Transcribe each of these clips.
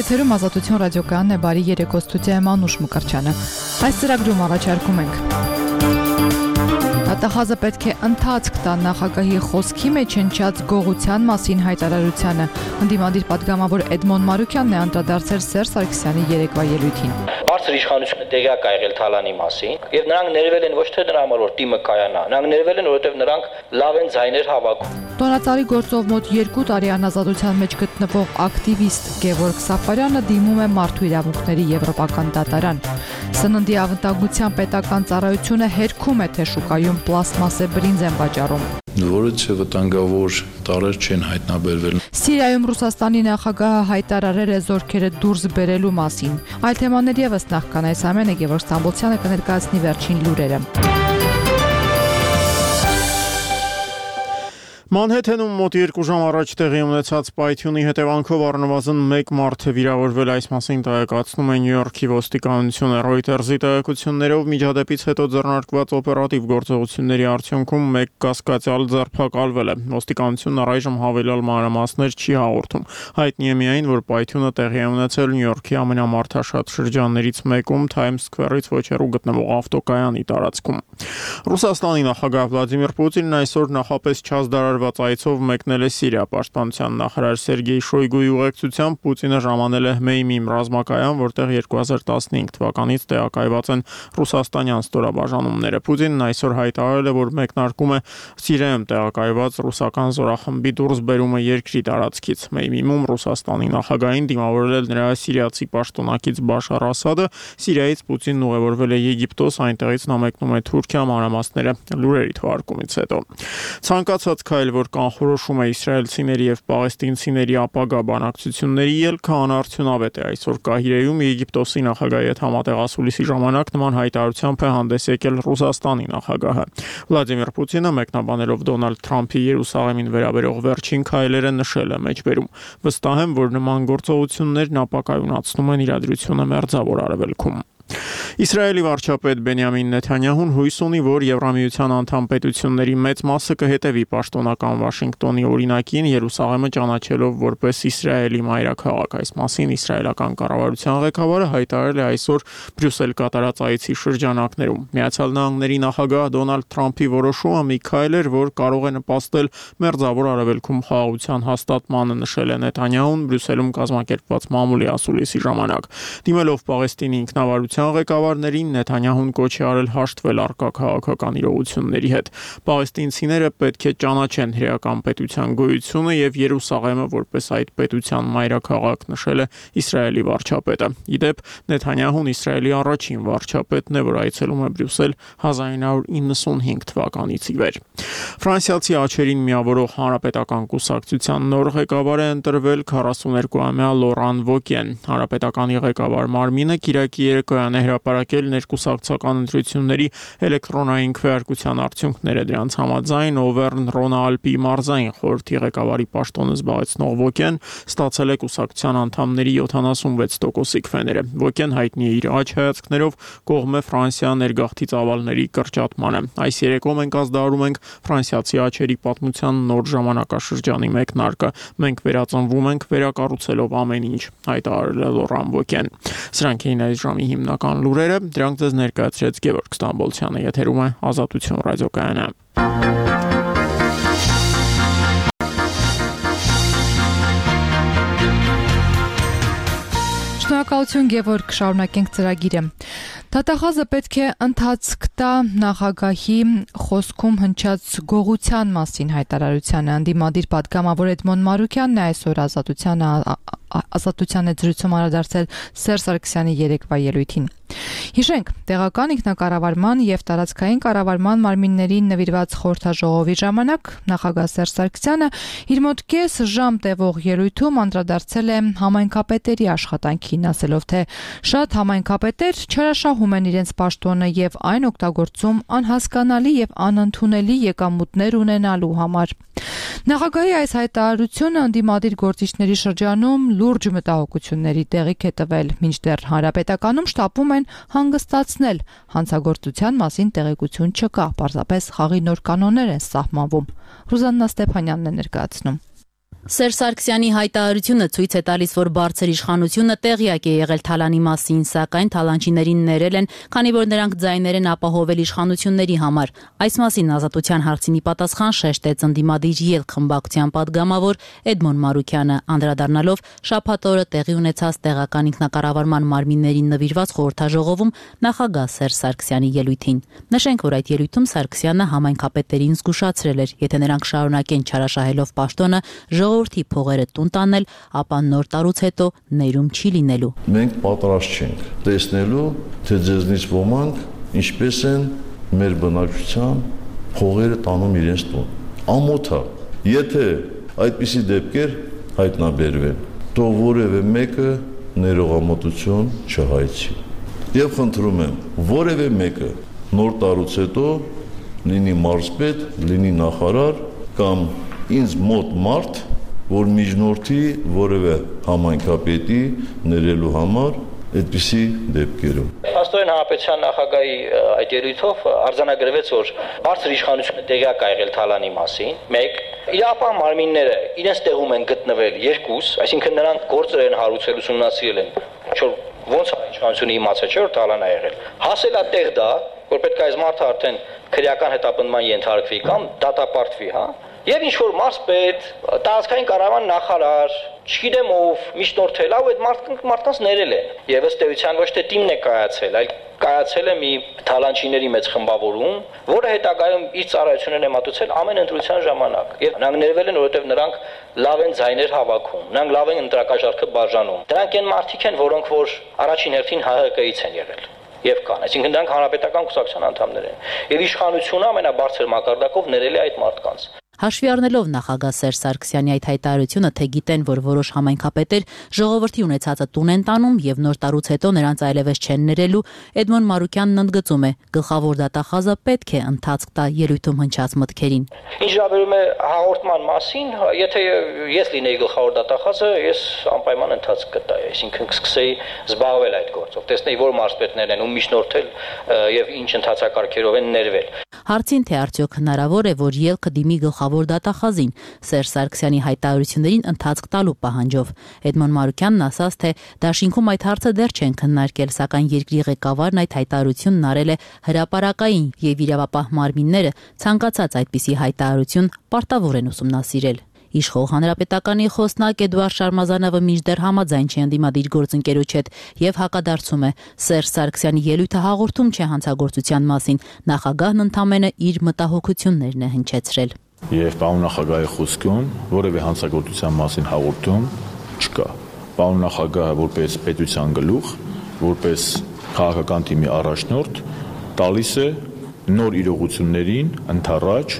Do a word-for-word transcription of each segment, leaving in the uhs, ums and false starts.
Եթերում Ազատություն ռադիոկայանն է, բարի երեկո, ստուդիայում Անուշ Մկրտչյանը։ Այս ծրագրում առաջարկում ենք Դատախազը պետք է ընթացք տա նախագահի խոսքի մեջ հնչած գողության մասին հայտարարությանը։ Ընդդիմադիր պատգամավոր Էդմոն Մարուկյանն է անդրադարձել Սերժ Սարգսյանի երեկվա ելույթին։ Բարձր իշխանությունը տեղյակ ա եղել Թալանի մասին, եւ նրանք ներվել են ոչ թե նրա համար, որ թիմը կայանա, նրանք ներվել են, որովհետեւ նրանք լավ են ձայներ հավաքում։ Տոնածառի գործով մոտ երկու տարի անազատության մեջ գտնվող ակտիվիստ Գևորգ Սաֆարյանը դիմում է Մարդու իրավունքների եվրոպական դատարան։ Սննդի անվտանգության պետական ծառայությունը հերքում է, թե շուկայում պլաստմասե բրինձ են վաճառում։ Որը չէ վտանգավոր տարեր չեն հայտնաբերվել։ Սիրիայում Ռուսաստանի նախագահը հայտարարել է զորքերը դուրս բերելու մասին։ Այլ թեմաներ ևս նախքան այս ամենը Գևորգ Ստամբոլցյանը կներկայացնի վերջին լուրերը։ Մանհեթենում մոտ երկու ժամ առաջ տեղի ունեցած պայթյունի հետևանքով առնվազն մեկ մարդ է վիրավորվել, այս մասին տեղեկացնում է Նյու Յորքի ոստիկանությունը։ Ռոյտերզի տեղեկություններով միջադեպից հետո ձեռնարկված օպերատիվ գործողությունների արդյունքում մեկ կասկածյալ ձերբակալվել է։ Ոստիկանությունն առայժմ հավելյալ մանրամասներ չի հաղորդում։ Հայտնի է միայն, որ պայթյունը տեղի է ունեցել Նյու Յորքի ամենամարդաշատ շրջաններից մեկում Times Square-ից ոչ հեռու գտնվող ավտոկայանի տարածքում։ Ռուսաստանի նախագահ Վլադիմիր Պուտինն այսօր նախապես չազդարարված այցով մեկնել է Սիրիա։ Պաշտպանության նախարար Սերգեյ Շոյգուի ուղեկցությամբ Պուտինը ժամանել է Հմեյմիմ ռազմակայան, որտեղ երկու հազար տասնհինգ թվականից տեղակայված են ռուսաստանյան ստորաբաժանումները։ Պուտինն այսօր հայտարարել է, որ մեկնարկում է Սիրիայում տեղակայված ռուսական զորախմբի դուրսբերումը երկրի տարածքից։ Հմեյմիմում Ռուսաստանի նախագահին դիմավորել նրա սիրիացի պաշտոնակից Բաշար Ասադը։ Սիրիայից Պուտինն ուղևորվել է Եգիպտոս, այնտեղից նա մեկնում է Թուրքիա, մանրամասները լուրերի թողարկումից հետո։ Ցանկացած քայլ, որ կանխորոշում է իսրայելցիների եւ պաղեստինցիների ապագա բանակցությունների ելքը, անարդյունավետ է։ Այսօր Կահիրեում Եգիպտոսի նախագահի հետ համատեղասուլիսի ժամանակ նման հայտարարությամբ է հանդես եկել Ռուսաստանի նախագահը։ Վլադիմիր Պուտինը մեկնաբանելով Դոնալդ Թրամփի Երուսաղեմին վերաբերող վերջին քայլերը նշել է մեջբերում. վստահ եմ, որ նման գործողություններն ապակայունացնում են իրադրությունը Մերձավոր Արևելքում։ Իսրայելի վարչապետ Բենյամին Նեթանյահուն հույս ունի, որ Եվրամիության անդամ պետությունների մեծ մասը կհետևի պաշտոնական Վաշինգտոնի օրինակին, Երուսաղեմը ճանաչելով որպես Իսրայելի մայրաքաղաք։ Այս մասին իսրայելական կառավարության ղեկավարը հայտարարել է այսօր Բրյուսել կատարած այցի շրջանակներում։ Միացյալ Նահանգների նախագահ Դոնալդ Թրամփի որոշումը մի քայլ էր, որ կարող է նպաստել Մերձավոր Արևելքում խաղաղության հաստատմանը, նշել է Նեթանյահուն Բրյուսելում կազմակերպված մամուլի ասուլիսի ժամանակ։ Դիմելով Պաղեստինի ինքնավարության ղեկավարներին Նեթանյահուն կոչ է արել հաշտվել առկա քաղաքական իրողությունների հետ։ Պաղեստինցիները պետք է ճանաչեն հրեական պետության գոյությունը եւ Երուսաղեմը որպես այդ պետության մայրաքաղաք, նշել է Իսրայելի վարչապետը։ Իդեպ Նեթանյահուն Իսրայելի առաջին վարչապետն է, որ այցելում է Բրյուսել հազար նույն հարյուր իննսունհինգ թվականից ի վեր։ Ֆրանսիացի աչերին միավորող հանրապետական կուսակցության նոր ղեկավար է ընտրվել քառասուներկուամյա Լորան Վոկեն։ Հանրապետականի ղեկավար մարմինը Կիրակի երեկոյան հրապարակել ներկուսակցական ընտրությունների էլեկտրոնային քվեարկության արդյունքները։ Դրանց համաձայն Օվերն Ռոնալպի մարզային խորհրդի ղեկավարի պաշտոնը զբաղեցնող Վոկեն ստացել է կուսակցության անդամների յոթանասունվեց տոկոսի քվեները։ Վոկեն հայտնի է իր աջ հայացքներով, կողմ է Ֆրանսիա ներգաղթի ծավալների կրճատմանը։ Այս երեկո մենք ազդարարում ենք ֆրանսիացի աչերի պատմության նոր ժամանակաշրջանի մեկնարկը։ Մենք վերածնվում ենք վերակառուցելով ամեն ինչ, հայտարարել է Լորան Վոկեն։ Սրանք էին այս ժամի հիմնական լուրերը, դրանք ձեզ ներկայացրեց Գևորգ Ստամբոլցյանը, եթերում է Ազատություն ռադիոկայանը։ Շնորհակալություն Գևորգ, շարունակենք ծրագիրը։ Դատախազը պետք է ընթացք տա նախագահի խոսքում հնչած գողության մասին հայտարարությանը։ Ընդդիմադիր պատգամավոր Էդմոն Մարուկյանն է այսօր ազատությանը ազատության է զրույցում անդրադարձել Սերժ Սարգսյանի երեկվա ելույթին։ Հիշենք, տեղական ինքնակառավարման եւ տարածքային կառավարման մարմիններին նվիրված խորհրդաժողովի ժամանակ նախագահ Սերժ Սարգսյանը իր մոտ կես ժամ տևող ելույթում անդրադարձել է համայնքապետերի աշխատանքին, ասելով, թե շատ համայնքապետեր չհրաշահում են իրենց պաշտոնը եւ այն օգտագործում անհասկանալի եւ անընդունելի եկամուտներ ունենալու համար։ Նախագահի այս հայտարարությունը ընդդիմադիր գործիչների շրջանում լուրջ մտահոգությունների տեղիք է տվել, մինչդեռ հանրապետականում շտապում են հանգստացնել, հանցագործության մասին տեղեկություն չկա, պարզապես խաղի նոր կանոններ են սահմանվում։ Ռուզաննա Ստեփանյանն է ներկայացնում։ Սերժ Սարգսյանի հայտարարությունը ցույց է տալիս, որ բարձր իշխանությունը տեղյակ է եղել Թալանի մասին, սակայն թալանչիներին ներել են, քանի որ նրանք ձայներ են ապահովել իշխանությունների համար։ Այս մասին Ազատության հարցինի պատասխան շեշտեց ընդդիմադիր ելք խմբակցության պատգամավոր Էդմոն Մարուկյանը, անդրադառնալով շաբաթ օրը տեղի ունեցած տեղական ինքնակառավարման մարմիններին նվիրված խորհրդաժողովում նախագահ Սերժ Սարգսյանի ելույթին։ Նշենք, որ այդ ելույթում Սարգսյանը համայնքապետերին զգուշացրել էր, եթե նրանք շարունակեն չարաշահելով պաշտոնը, ժողովրդի փողերը տուն տանել, ապա նոր տարուց հետո ներում չի լինելու։ Մենք պատրաստ չենք տեսնելու, թե ձեզնից ոմանք ինչպես են մեր բնակչության փողերը տանում իրենց տուն։ Ամոթ է, եթե այդպիսի դեպքեր հայտնաբերվեն, թող որևէ մեկը ներողամտություն չհայցի։ Եվ խնդրում եմ, որևէ մեկը նոր տարուց հետո լինի մարզպետ, լինի նախարար կամ ինձ մոտ մարդ, որ միջնորդի որևէ համայնքապետի ներելու համար այդպիսի դեպքերում։ Աստորեն հանրապետության նախագահի այդ ելույթով արձանագրվեց, որ բարձր իշխանությունը տեղյակ է եղել Թալանի մասին, մեկ, իրապահ մարմինները իրենց տեղում են գտնվել երկուս, այսինքն նրանք գործեր են հարուցել, ուսումնասիրել են, չէ՞ ոնց է իշխանությունը իմացել, չէ՞ որ Թալան է եղել։ Հասել է տեղ դա, որ պետք է այս մարդը արդեն քրեական հետապնդման ենթարկվի կամ դատապարտվի, հա։ Եվ ինչ որ մարզպետ, տարածքային կառավարման նախարար, չգիտեմ ով, միջնորդել է ու այդ մարդկանց մարդկանց ներել են։ Եվ ըստ էության ոչ թե թիմն է կայացել, այլ կայացել է մի թալանչիների մեծ խմբավորում, որը հետագայում իր ծառայություններն է մատուցել ամեն ընտրության ժամանակ։ Եվ նրանք ներվել են, որովհետև նրանք լավ են ձայներ հավաքում, նրանք լավ են ընտրակաշառքը բաժանում։ Դրանք այն մարդիկ են, որոնք որ առաջին հերթին Հայ Հ Կ-ից են եղել։ Եվ կան, այսինքն դրանք հանրապետական կուսակցության անդամներ են։ Եվ իշխանությունը ամենաբարձր մակարդակով ներել է այդ մարդկանց։ Հաշվի առնելով նախագահ Սերժ Սարգսյանի այդ հայտարարությունը, թե գիտեն, որ որոշ համայնքապետեր ժողովրդի ունեցածը տուն են տանում եւ նոր տարուց հետո նրանց այլևս չեն ներելու, Էդմոն Մարուկյանն ընդգծում է, գլխավոր դատախազը պետք է ընթացք տա ելույթում հնչած մտքերին։ Ինչ վերաբերում է հաղորդման մասին, եթե ես լինեի գլխավոր դատախազը, ես անպայման ընթացք կտայի, այսինքն կսկսեի զբաղվել այդ գործով, տեսնեի որ մարզպետներն են ու միջնորդել եւ ինչ ընթացակարգերով են ներվել։ Հարցին, թե արդյոք հնարավոր է, որ ելքը դիմի գլխավոր դատախազին Սերժ Սարգսյանի հայտարարություններին ընթացք տալու պահանջով, Էդմոն Մարուկյանն ասաց, թե դաշինքում այդ հարցը դեռ չեն քննարկել, սակայն երկրի ղեկավարն այդ հայտարարությունն արել է հրապարակային եւ իրավապահ մարմինները ցանկացած այդպիսի հայտարարություն պարտավոր են ուսումնասիրել։ Իշխող հանրապետականի խոսնակ Էդուարդ Շարմազանովը մինչդեռ համաձայն չի ընդդիմադիր գործընկերոջ հետ եւ հակադարձում է Սերժ Սարգսյանի ելույթը հաղորդում չէ հանցագործության մասին, նախագահն ընդամենը իր մտահոգություններն է հնչեցրել։ Եվ պարոն նախագահի խոսքում որևէ հանցագործության մասին հաղորդում չկա։ Պարոն նախագահը որպես պետության գլուխ, որպես քաղաքական թիմի առաջնորդ տալիս է նոր իրողություններին ընդառաջ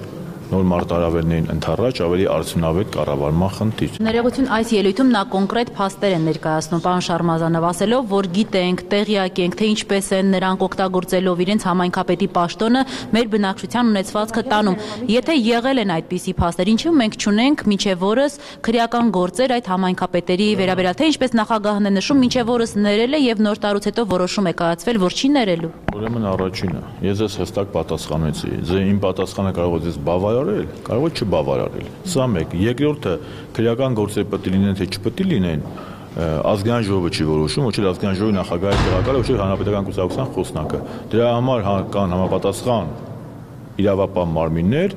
նոր մարտահրավերներին ընդառաջ ավելի արդյունավետ կառավարման խնդիր։ Ներողություն, այս ելույթում նա կոնկրետ փաստեր են ներկայացնում, պարոն Շարմազանով ասելով, որ գիտենք, տեղյակ ենք, թե ինչպես են նրանք օգտագործելով իրենց համայնքապետի պաշտոնը մեր բնակչության ունեցվածքը տանում։ Եթե եղել են այդպիսի փաստեր, ինչու մենք չունենք մինչև օրս քրեական գործեր այդ համայնքապետերի վերաբերյալ, թե ինչպես նախագահն է նշում, մինչև օրս ներել է եւ նոր տարուց հետո որոշում է կայացվել, որ չի ներելու։ Ուրեմն առաջինը, ես ես հստակ պատասխանեցի, ձեր իմ պատասխանը կարող է ձեզ բավարարել, կարող է չբավարարել։ Սա մեկ, երկրորդը քրեական գործեր պետք է լինեն, թե չպետք է լինեն, ազգային ժողովը չի որոշում, ոչ էլ ազգային ժողովի նախագահի տեղակալը, ոչ էլ հանրապետական կուսակցության խոսնակը։ Դրա համար կան համապատասխան իրավապահ մարմիններ,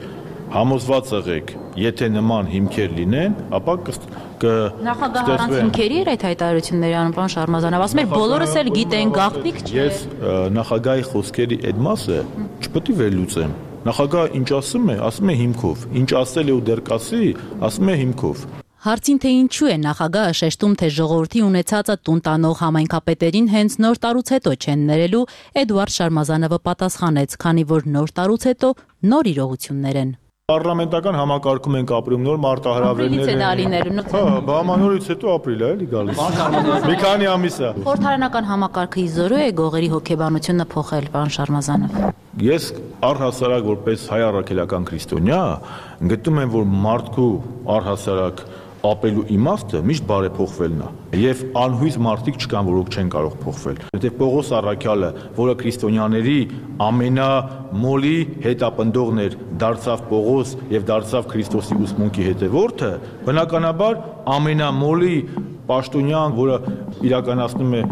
համոզված եղեք, եթե նման հիմքեր լինեն, ապա Նախագահը առանց հիմքերի էր այդ հայտարարությունների անում, պարոն Շարմազանով, ասում էր բոլորս էլ գիտեն, գաղտնիք չէ։ Ես նախագահի խոսքերի այդ մասը չպետք է վերլուծեմ։ Նախագահը ինչ ասում է, ասում է հիմքով, ինչ ասել է ու դեռ կասի, ասում է հիմքով։ Հարցին, թե ինչու է նախագահը շեշտում, թե ժողովրդի ունեցածը տուն տանող համայնքապետերին հենց նոր տարուց հետո չեն ներելու, Էդուարդ Շարմազանովը պատասխանեց, քանի որ նոր տարուց հետո նոր իրողություններ են։ Պարլամենտական համակարգում ենք ապրում, նոր մարտահրավերներ են։ Ապրիլից է լինելու։ Հա, բամանորից հետո ապրիլ է էլի գալիս։ Մի քանի ամիս է։ Խորհրդարանական համակարգը իզորու է գողերի հոգեբանությունը փոխել, պարոն Շարմազանով։ Ես առհասարակ որպես հայ առաքելական քրիստոնյա գտնում եմ, որ մարդկու առհասարակ ապրելու իմաստը միշտ բարեփոխվելն է եւ անհույս մարդիկ չկան, որոնք չեն կարող փոխվել։ Որտեղ Պողոս Առաքյալը, որը քրիստոնյաների ամենամոլի հետապնդողն էր, դարձավ Պողոս եւ դարձավ Քրիստոսի ուսմունքի հետևորդը, բնականաբար ամենամոլի պաշտոնյան, որը իրականացնում է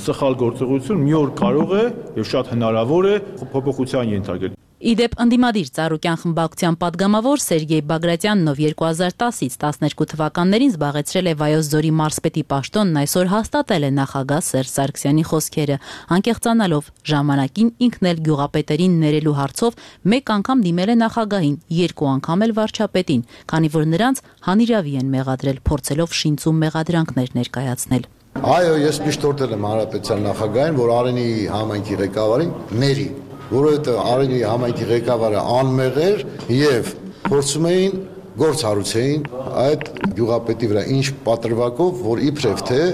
սխալ գործողություն, մի օր կարող է եւ շատ հնարավոր է փոփոխության ենթարկել։ Իդեպ ընդդիմադիր Ծառուկյան խմբակցության падգամավոր Սերգեյ Բագրատյանն, ով երկու հազար տասից տասներկու թվականներին զբաղեցրել է Վայոց ձորի մարզպետի պաշտոնն, այսօր հաստատել է նախագահ Սերժ Սարգսյանի խոսքերը, անկեղծանալով ժամանակին ինքն էլ գյուղապետերին ներելու հարցով մեկ անգամ դիմել է նախագահին, երկու անգամ էլ վարչապետին, քանի որ նրանց հանիրավի են մեղադրել, փորձելով շինծու մեղադրանքներ ներկայացնել։ Այո, ես միշտ օրդել եմ հանրապետության նախագահին, որ Արենի համայնքի ղեկավարին ների, որովհետև Արենի համայնքի ղեկավարը անմեղ էր եւ փորձում էին գործ հարուցեին այդ գյուղապետի վրա, ինչ պատրվակով, որ իբրև թե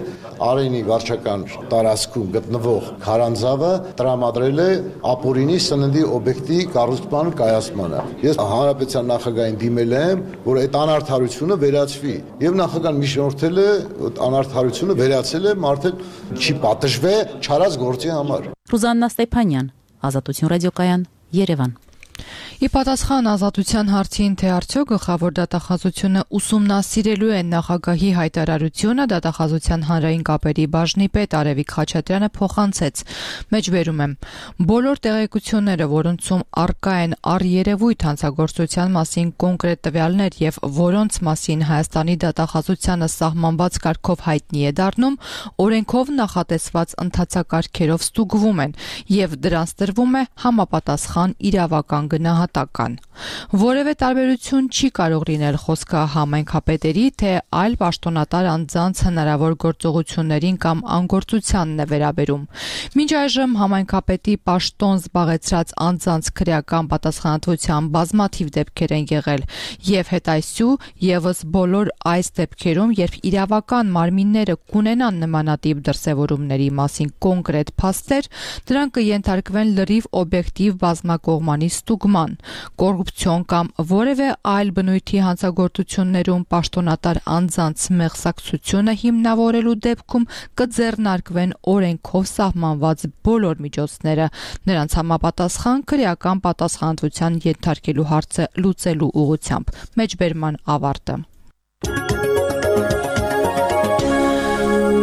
Արենի վարչական տարածքում գտնվող քարանձավը տրամադրել է ապօրինի սննդի օբյեկտի կառուցման կայացմանը։ Ես հանրապետության նախագահին դիմել եմ, որ այդ անարդարությունը վերացվի, եւ նախագահան միջնորդել է անարդարությունը վերացել է, մարդը չի պատժվե չարած գործի համար։ Ռուզաննա Ստեփանյան, Ազատություն ռադիոկայան, Երևան։ Ի պատասխան Ազատության հարցին, թե արդյոք գլխավոր դատախազությունը ուսումնասիրելու է նախագահի հայտարարությունը, դատախազության հանրային կապերի բաժնի պետ Արևիկ Խաչատրյանը փոխանցեց. Մեջբերում եմ. բոլոր տեղեկությունները, որոնցում առկա են առերևույթ հանցագործության մասին կոնկրետ տվյալներ եւ որոնց մասին Հայաստանի դատախազությանը սահմանված կարգով հայտնի է դառնում, օրենքով նախատեսված ընթացակարգերով ստուգվում են եւ դրանց տրվում է համապատասխան իրավական գնահատական։ Որևէ տարբերություն չի կարող լինել խոսքը համայնքապետերի, թե այլ պաշտոնատար անձանց հնարավոր գործողություններին կամ անգործությանն է վերաբերում։ Մինչ այժմ համայնքապետի պաշտոն զբաղեցրած անձանց քրեական պատասխանատվության բազմաթիվ դեպքեր են եղել եւ հետայսու եւս բոլոր այս դեպքերում, երբ իրավական մարմինները կունենան նմանատիպ դրսևորումների մասին կոնկրետ փաստեր, դրանք կենթարկվեն լրիվ օբյեկտիվ բազմակողմանի ստուգման, կոռուպցիոն կամ որևէ այլ բնույթի հանցագործություններում պաշտոնատար անձանց մեղսակցությունը հիմնավորելու դեպքում կձեռնարկվեն օրենքով սահմանված բոլոր միջոցները, նրանց համապատասխան քրեական պատասխանատվության ենթարկելու հարցը լուծելու ուղղությամբ։ Մեջբերման ավարտը։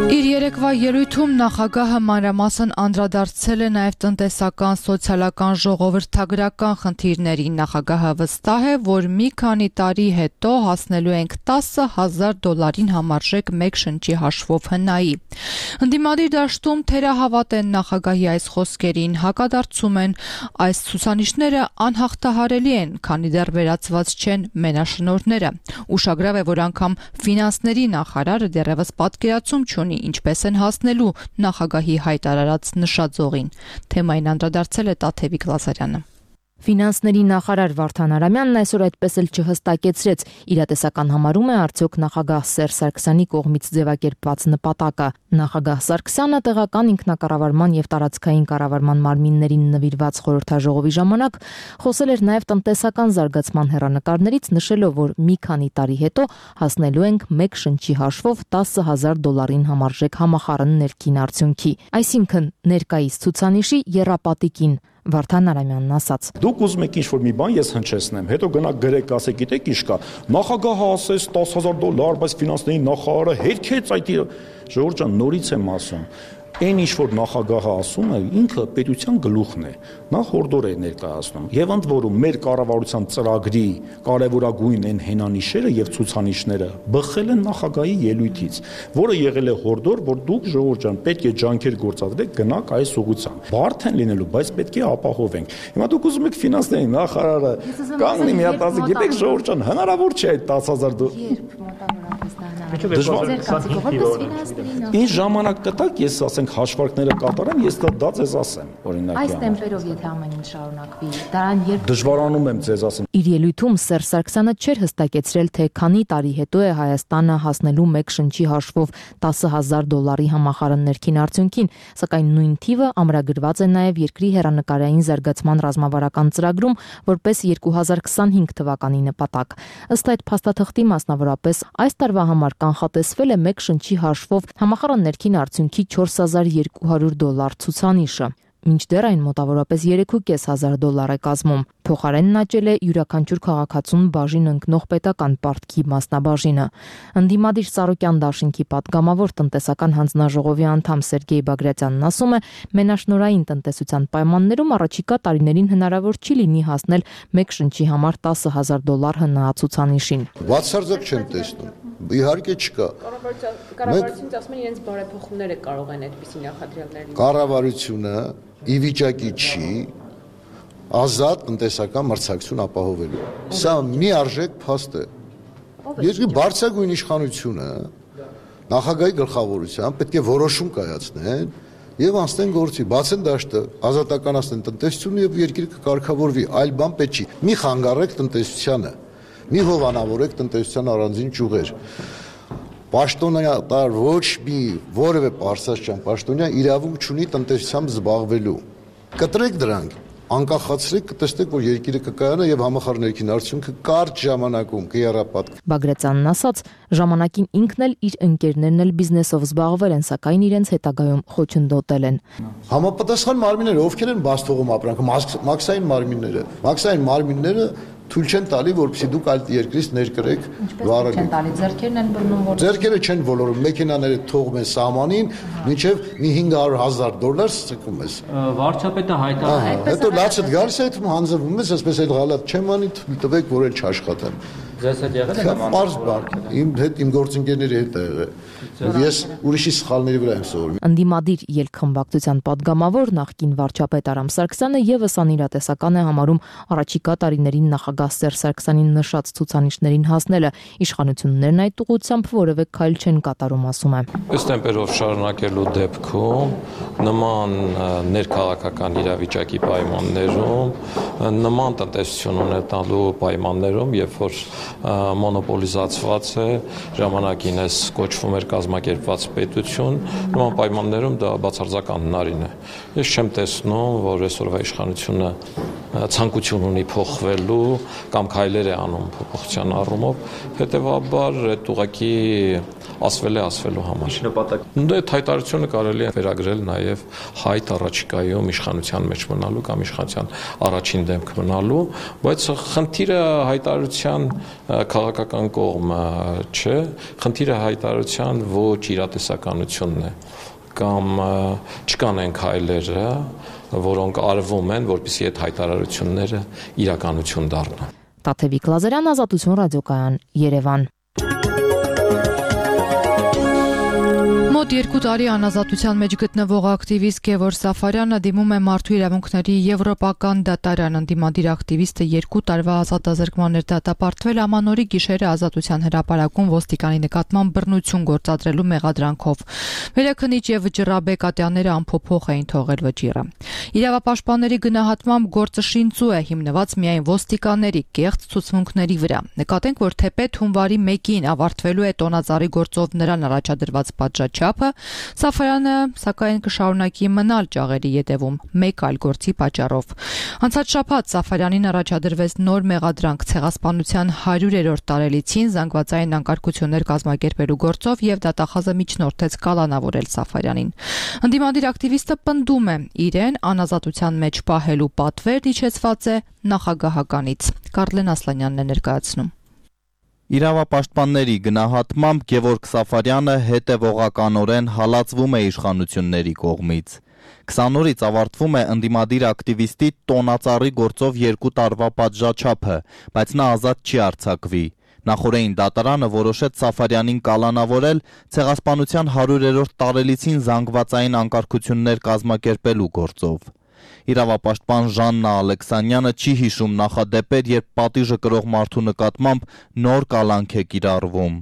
Իր երեկվա ելույթում նախագահը մանրամասն անդրադարձել է նաև տնտեսական, սոցիալական, ժողովրդագրական խնդիրներին։ Նախագահը վստահ է, որ մի քանի տարի հետո հասնելու ենք տասը հազար դոլարին համարժեք մեկ շնչի հաշվով հնայի։ Ընդդիմադիր դաշտում թերահավատ են նախագահի այս խոսքերին, հակադարձում են, այս ցուցանիշները անհաղթահարելի են, քանի դեռ վերացված չեն մենաշնորհները։ Ուշագրավ է, որ անգամ ֆինանսների նախարարը դեռևս պատկերացում չունի, ինչպես են հասնելու նախագահի հայտարարած նշաձողին։ Թեմային անդրադարձել է Տաթևիկ Լազարյանը։ Ֆինանսների նախարար Վարդան Արամյանն այսօր այդպես էլ չհստակեցրեց, իրատեսական համարում է արդյոք նախագահ Սերժ Սարգսյանի կողմից ձևակերպված նպատակը։ Նախագահ Սարգսյանը տեղական ինքնակառավարման եւ տարածքային կառավարման մարմիններին նվիրված խորհրդաժողովի ժամանակ խոսել էր նաեւ տնտեսական զարգացման հեռանկարներից, նշելով, որ մի քանի տարի հետո հասնելու ենք մեկ շնչի հաշվով տասը հազար դոլարին համարժեք համախառն ներքին արդյունքի, այսինքն ներկայիս ցուցանիշի եռապատիկին։ Վարդան Արամյանն ասաց. Դուք ուզում եք ինչ-որ մի բան ես հնչեցնեմ, հետո գնաք գրեք, ասեք, գիտեք ինչ կա, նախագահը ասեց տասը հազար դոլար, բայց ֆինանսների նախարարը հերքեց այդ ժողովուրդ ջան, նորից եմ ասում։ Այն ինչ որ նախագահը ասում է, ինքը պետության գլուխն է, նա հորդոր է ներկայացնում։ Եվ ընդ որում մեր կառավարության ծրագրի կարևորագույն են հենանիշերը եւ ցուցանիշները բխել են նախագահի ելույթից, որը եղել է հորդոր, որ դուք ժողովուրդ ջան պետք է ջանքեր գործադրեք, գնաք այս ուղղությամբ։ Բարդ են լինելու, բայց պետք է ապահովենք։ Հիմա դուք ուզում եք ֆինանսների նախարարը կանգնի մի հատ ասի, գիտեք ժողովուրդ ջան, հնարավոր չէ այդ տասը հազար Ինչ ժամանակ կտակ, ես ասենք հաշվարկները կատարեմ, ես դա ձեզ ասեմ, օրինակի Այս տեմպերով եթե ամեն ինչ շարունակվի, դրան երբ դժվարանում եմ ձեզ ասեմ։ Իր ելույթում Սերժ Սարգսյանը չէր հստակեցրել, թե քանի տարի հետո է Հայաստանը հասնելու մեկ շնչի հաշվով տասը հազար դոլարի համախառն ներքին արդյունքին, սակայն նույն թիվը ամրագրված է նաև երկրի հեռանկարային զարգացման ռազմավարական ծրագրում որպես երկու հազար քսանհինգ թվականի նպատակ։ Ըստ այդ փաստաթղթի մասնավորապես այս տարվա տարվա համար կանխատեսվել է մեկ շնչի հաշվով համախառն ներքին արդյունքի չորս հազար երկու հարյուր դոլար ցուցանիշը։ Մինչդեռ այն մոտավորապես երեք հազար պանսյոթ դոլար է կազմում։ Փոխարենն աճել է յուրաքանչյուր քաղաքացուն բաժին ընկնող պետական պարտքի մասնաբաժինը։ Ընդդիմադիր Սարոկյան դաշինքի պատգամավոր տնտեսական հանձնաժողովի անդամ Սերգեյ Բագրատյանն ասում է, մենաշնորհային տնտեսության պայմաններում առաջիկա տարիներին հնարավոր չի լինի հասնել մեկ շնչի համար տասը հազար դոլար հնահացուցանիշին։ Բացարձակ չեմ տեսնում։ Իհարկե չկա։ Կառավարությունից ասում են իրենց բարեփոխումները կարող են այդպիսի նախադրյալներ լինել։ Կառավարությունը ի վիճակի չի ազատ տնտեսական մրցակցություն ապահովելու։ Սա մի արժեք փաստ է։ Երկրի բարձրագույն իշխանությունը նախագահի գլխավորությամբ պետք է որոշում կայացնեն եւ անցնեն գործի, բացեն դաշտը, ազատականացնեն տնտեսությունը եւ երկիրը կկարգավորվի, այլ բան պետք չի։ Մի խանգարեք տնտեսությանը, մի հովանավորեք տնտեսության առանձին ճյուղեր։ Պաշտոնյա ոչ մի որևէ պարսաշճան պաշտոնյա իրավունք չունի տնտեսությամբ զբաղվելու։ Կտրեք դրանք, անկախացրեք, կտեսնեք, որ երկիրը կկայանա եւ համախառն ներքին արդյունքը կարճ ժամանակում կերապատ։ Բագրատյանն ասաց, ժամանակին ինքն էլ իր ընկերներն էլ բիզնեսով զբաղվել են, սակայն իրենց հետագայում խոչընդոտել են։ Համապատասխան մարմինները ովքեր են բաց թողում ապրանքը, մաքսային մարմինները։ Մաքսային մարմինները թույլ չեն տալի, որպեսզի դուք այլ երկրից ներկրեք վարել։ Չեն տալի, ձեռքերն են բռնում, որ ձեռքերը չեն ոլորում, մեքենաները թողում են սահմանին, մինչև մի հինգ հարյուր հազար դոլար ցկում ես։ Վարչապետը հայտարարել է։ Հետո լացդ գալիս է, հետո հանձնվում ես, այսպես էլ գալատ չեմ անի, տվեք, որ էլ չաշխատեմ։ Ձեզ հետ եղել է նման։ Իմ հետ իմ գործընկերների հետ է եղել։ Ես ուրիշի սխալների վրա եմ սովորում։ Ընդդիմադիր ելքխմբակցության падգամավոր նախկին վարչապետ Արամ Սարգսյանը եւս անիրատեսական է համարում առաջիկա տարիներին նախագահ Սերժ Սարգսյանին նշած ցուցանիշներին հասնելը։ Իշխանություններն այդ ուղղությամբ որևէ քայլ չեն կատարում, ասում է։ Ըստ տեմպերով շարունակելու դեպքում նման ներքաղաքական իրավիճակի պայմաններում նման տնտեսություն ունենալու պայմաններում, երբ որ մոնոպոլիզացված է, ժամանակին էս կոչվում էր կազմակերպված պետություն, նման պայմաններում դա բացարձակ անհնարին է։ Ես չեմ տեսնում, որ այսօրվա իշխանությունը ցանկություն ունի փոխվելու կամ քայլեր է անում փոփոխության առումով, հետեւաբար այդ ուղղակի ասվել է ասվելու համար։ Դե հայտարարությունը կարելի է վերագրել նաև հայտ առաջիկայում իշխանության մեջ մնալու կամ իշխանության առաջին դեմք մնալու, բայց խնդիրը հայտարարության քաղաքական կողմը չէ, խնդիրը հայտարարության ոչ իրատեսականությունն է կամ չկան են քայլերը, որոնք արվում են, որպեսզի այդ հայտարարությունները իրականություն դառնան։ Տաթևիկ Լազարյան, Ազատություն ռադիոկայան, Երևան։ Մոտ երկու տարի անազատության մեջ գտնվող ակտիվիստ Գևորգ Սաֆարյանը դիմում է Մարդու իրավունքների եվրոպական դատարան։ Ընդդիմադիր ակտիվիստը երկու տարվա ազատազրկման էր դատապարտվել ամանորի գիշերը ազատության հրապարակում ոստիկանի նկատմամբ բռնություն գործադրելու մեղադրանքով։ Վերաքնիչ եւ վճռաբեկ ատյանները ամփոփող էին թողել վճիռը։ Իրավապաշտպանների գնահատմամբ գործը շինծու է, հիմնված միայն ոստիկանների կեղծ ցուցմունքների վրա։ Նկատենք, որ թեպետ հունվարի մեկին ավարտվելու է տոնածառի գործով նրան առաջադրված պատժաչափը, Սաֆարյանը սակայն կշարունակի մնալ ճաղերի ետևում մեկ այլ գործի պատճառով։ Անցած շաբաթ Սաֆարյանին առաջադրվեց նոր մեղադրանք ցեղասպանության հարյուրերորդ տարելիցին զանգվածային անկարգություններ կազմակերպելու գործով եւ դատախազը միջնորդեց կալանավորել Սաֆարյանին։ Ընդդիմադիր ակտիվիստը պնդում է, իրեն անազատության մեջ պահելու պատվերն իջեցված է նախագահականից։ Կարլեն Ասլանյանն է ներկայացնում։ Իրավապաշտպանների գնահատմամբ Գևորգ Սաֆարյանը հետևողականորեն հալածվում է իշխանությունների կողմից։ քսան օրից ավարտվում է ընդդիմադիր ակտիվիստի տոնածառի գործով երկու տարվա պատժաչափը, բայց նա ազատ չի արձակվի։ Նախորդին դատարանը որոշեց Սաֆարյանին կալանավորել ցեղասպանության հարյուրերորդ տարելիցին զանգվածային անկարգություններ կազմակերպելու գործով։ Իրավապաշտպան Ժաննա Ալեքսանյանը չի հիշում նախադեպեր, երբ պատիժը կրող մարդու նկատմամբ նոր կալանք է կիրառվում։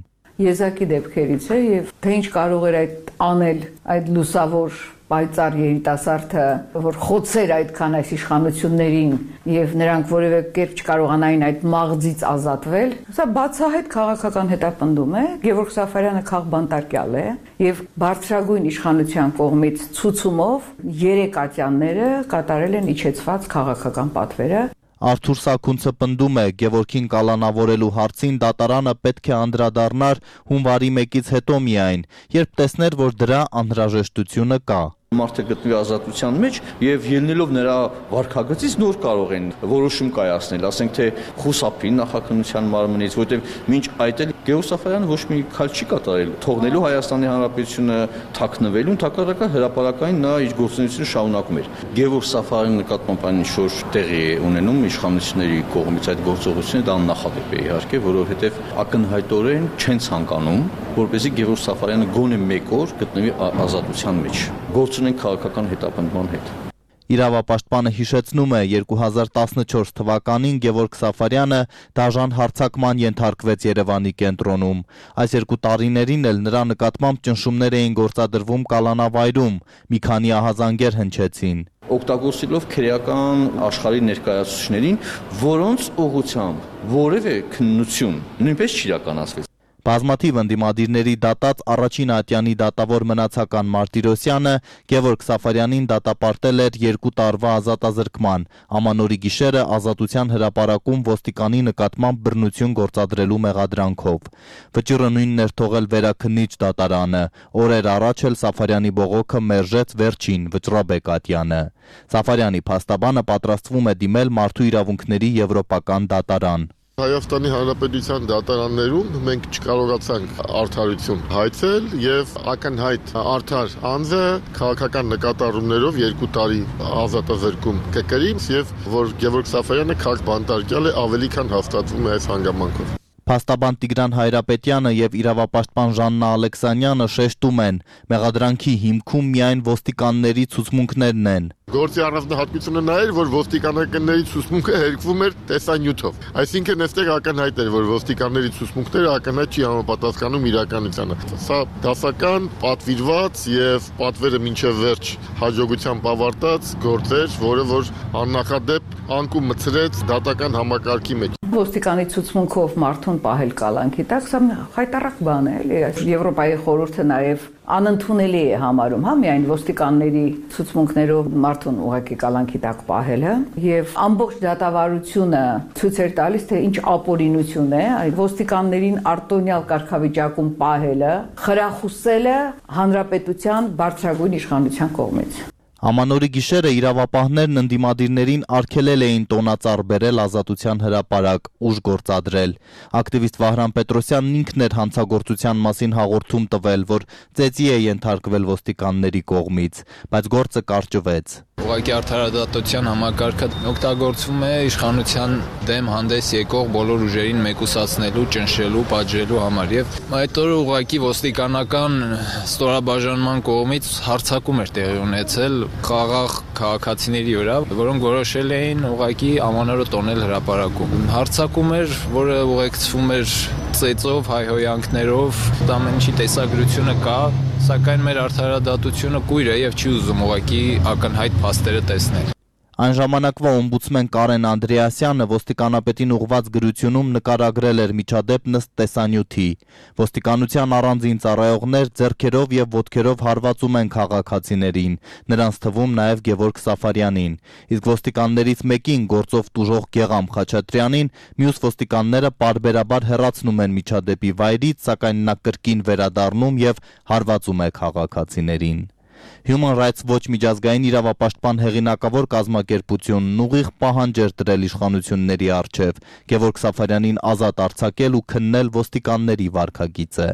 Եզակի դեպքերից է եւ թե ինչ կարող էր այդ անել այդ լուսավոր պայծառ երիտասարդը, որ խոցեր այդքան այս իշխանություններին եւ նրանք որևէ կերպ չկարողանային այդ մաղձից ազատվել, սա բացահայտ քաղաքական հետապնդում է։ Գևորգ Սաֆարյանը քաղբանտարկյալ է եւ բարձրագույն իշխանության կողմից ցուցումով երեք ատյանները կատարել են իջեցված քաղաքական պատվերը։ Արթուր Սաքունցը պնդում է, Գևորգին կալանավորելու հարցին դատարանը պետք է անդրադառնար հունվարի մեկից հետո միայն, երբ տեսներ, որ դրա անհրաժեշտությունը կա։ Մարդը գտնվի ազատության մեջ եւ ելնելով նրա վարքագծից նոր կարող են որոշում կայացնել, ասենք թե խուսափի նախաքննության մարմնից, որտեղ մինչ այդ էլ Գևորգ Սաֆարյանը ոչ մի քայլ չի կատարել, թողնելու Հայաստանի Հանրապետությունը թաքնվելու, ընդհակառակը հրապարակային նա իր գործունեությունը շարունակում էր։ Գևորգ Սաֆարյանի նկատմամբ այն ինչ-որ տեղի է ունենում իշխանությունների կողմից այդ գործողությունը դա աննախադեպ է իհարկե, որովհետեւ ակնհայտորեն չեն ցանկանում, որպեսզի Գևորգ Սաֆարյանը գոնե մեկ օր գտնվի ազատության մեջ։ Գործունեն քաղաքական հետապնդման հետ։ Իրավապաշտպանը հիշեցնում է, երկու հազար տասնչորս թվականին Գևորգ Սաֆարյանը դաժան հարձակման ենթարկվեց Երևանի կենտրոնում։ Այս երկու տարիներին էլ նրա նկատմամբ ճնշումներ էին գործադրվում կալանավայրում, մի քանի ահազանգեր հնչեցին։ Օգտագործելով քրեական աշխարհի ներկայացուցիչներին, որոնց ուղղությամբ որևէ քննություն նույնպես չիրականացվեց։ Բազմաթիվ ընդդիմադիրների դատած առաջին ատյանի դատավոր մնացական Մարտիրոսյանը Գևորգ Սաֆարյանին դատապարտել էր երկու տարվա ազատազրկման, ամանորի գիշերը ազատության հրապարակում ոստիկանի նկատմամբ բռնություն գործադրելու մեղադրանքով։ Վճիռը նույնն էր թողել վերաքննիչ դատարանը, օրեր առաջ էլ Սաֆարյանի բողոքը մերժեց վերջին վճռաբեկ ատյանը։ Սաֆարյանի փաստաբանը պատրաստվում է դիմել Մարդու իրավունքների եվրոպական դատարան։ Հայաստանի Հանրապետության դատարաններում մենք չկարողացանք արդարություն հայցել եւ ակնհայտ արդար անձը քաղաքական նկատառումներով երկու տարի ազատազրկում կկրի եւ որ Գևորգ Սաֆարյանը քաղաք բանտարկյալ է ավելի քան հաստատվում է այս հանգամանքով։ Փաստաբան Տիգրան Հայրապետյանը եւ իրավապաշտպան Ժաննա Ալեքսանյանը շեշտում են, մեղադրանքի հիմքում միայն ոստիկանների ցուցմունքներն են։ Գործի առանձնահատկությունը նա էր, որ ոստիկանականների ցուցմունքը հերկվում էր տեսանյութով։ Այսինքն այստեղ ակնհայտ էր, որ ոստիկանների ցուցմունքները ակնհայտ չի համապատասխանում իրականությանը։ Սա դասական, պատվիրված եւ պատվերը մինչեւ վերջ հաջողությամբ ավարտած գործ էր, որը որ աննախադեպ անկում մցրեց դատական համակարգի մեջ։ Ոստիկանի ցուցմունքով մարդուն պահել կալանքի տակ, սա խայտառակ բան է, էլի։ Եվրոպայի խորհուրդը նաեւ անընդունելի է համարում, հա, միայն ոստիկանների ցուցմունքներով մարդուն ուղղակի կալանքի տակ պահելը եւ ամբողջ դատավարությունը ցույց էր տալիս, թե ինչ ապօրինություն է այդ ոստիկաններին արտոնյալ կարգավիճակում պահելը, խրախուսելը հանրապետության բարձրագույն իշխանության կողմից։ Ամանորի գիշերը իրավապահներն ընդդիմադիրներին արգելել էին տոնածառ բերել ազատության հրապարակ, ուժ գործադրել։ Ակտիվիստ Վահրամ Պետրոսյանն ինքն էր հանցագործության մասին հաղորդում տվել, որ ծեծի է ենթարկվել ոստիկանների կողմից, բայց գործը կարճվեց։ Ուղղակի արդարադատության համակարգը օգտագործվում է իշխանության դեմ հանդես եկող բոլոր ուժերին մեկուսացնելու, ճնշելու, պատժելու համար եւ այդ օրը ուղղակի ոստիկանական ստորաբաժանման կողմից հարձակում էր տեղի ունեցել խաղաղ քաղաքացիների վրա, որոնք որոշել էին ուղղակի ամանորը տոնել հրապարակում։ Հարձակում էր, որը ուղեկցվում էր ծեծով, հայհոյանքներով, ամեն ինչի տեսագրությունը կա, սակայն մեր արդարադատությունը կույր է եւ չի ուզում ուղղակի ակնհայտ փաստերը տեսնել։ Այն ժամանակվա օմբուդսմեն Կարեն Անդրեասյանը ոստիկանապետին ուղված գրությունում նկարագրել էր միջադեպն ըստ տեսանյութի։ Ոստիկանության առանձին ծառայողներ ձեռքերով եւ ոտքերով հարվածում են քաղաքացիներին, նրանց թվում նաեւ Գևորգ Սաֆարյանին։ Իսկ ոստիկաններից մեկին գործով տուժող Գեգամ Խաչատրյանին մյուս ոստիկանները պարբերաբար հեռացնում են միջադեպի վայրից, սակայն նա կրկին վերադառնում եւ հարվածում է քաղաքացիներին։ Human Rights Watch միջազգային իրավապաշտպան հեղինակավոր կազմակերպությունն ուղիղ պահանջ էր դրել իշխանությունների առջև Գևորգ Սաֆարյանին ազատ արձակել ու քննել ոստիկանների վարքագիծը։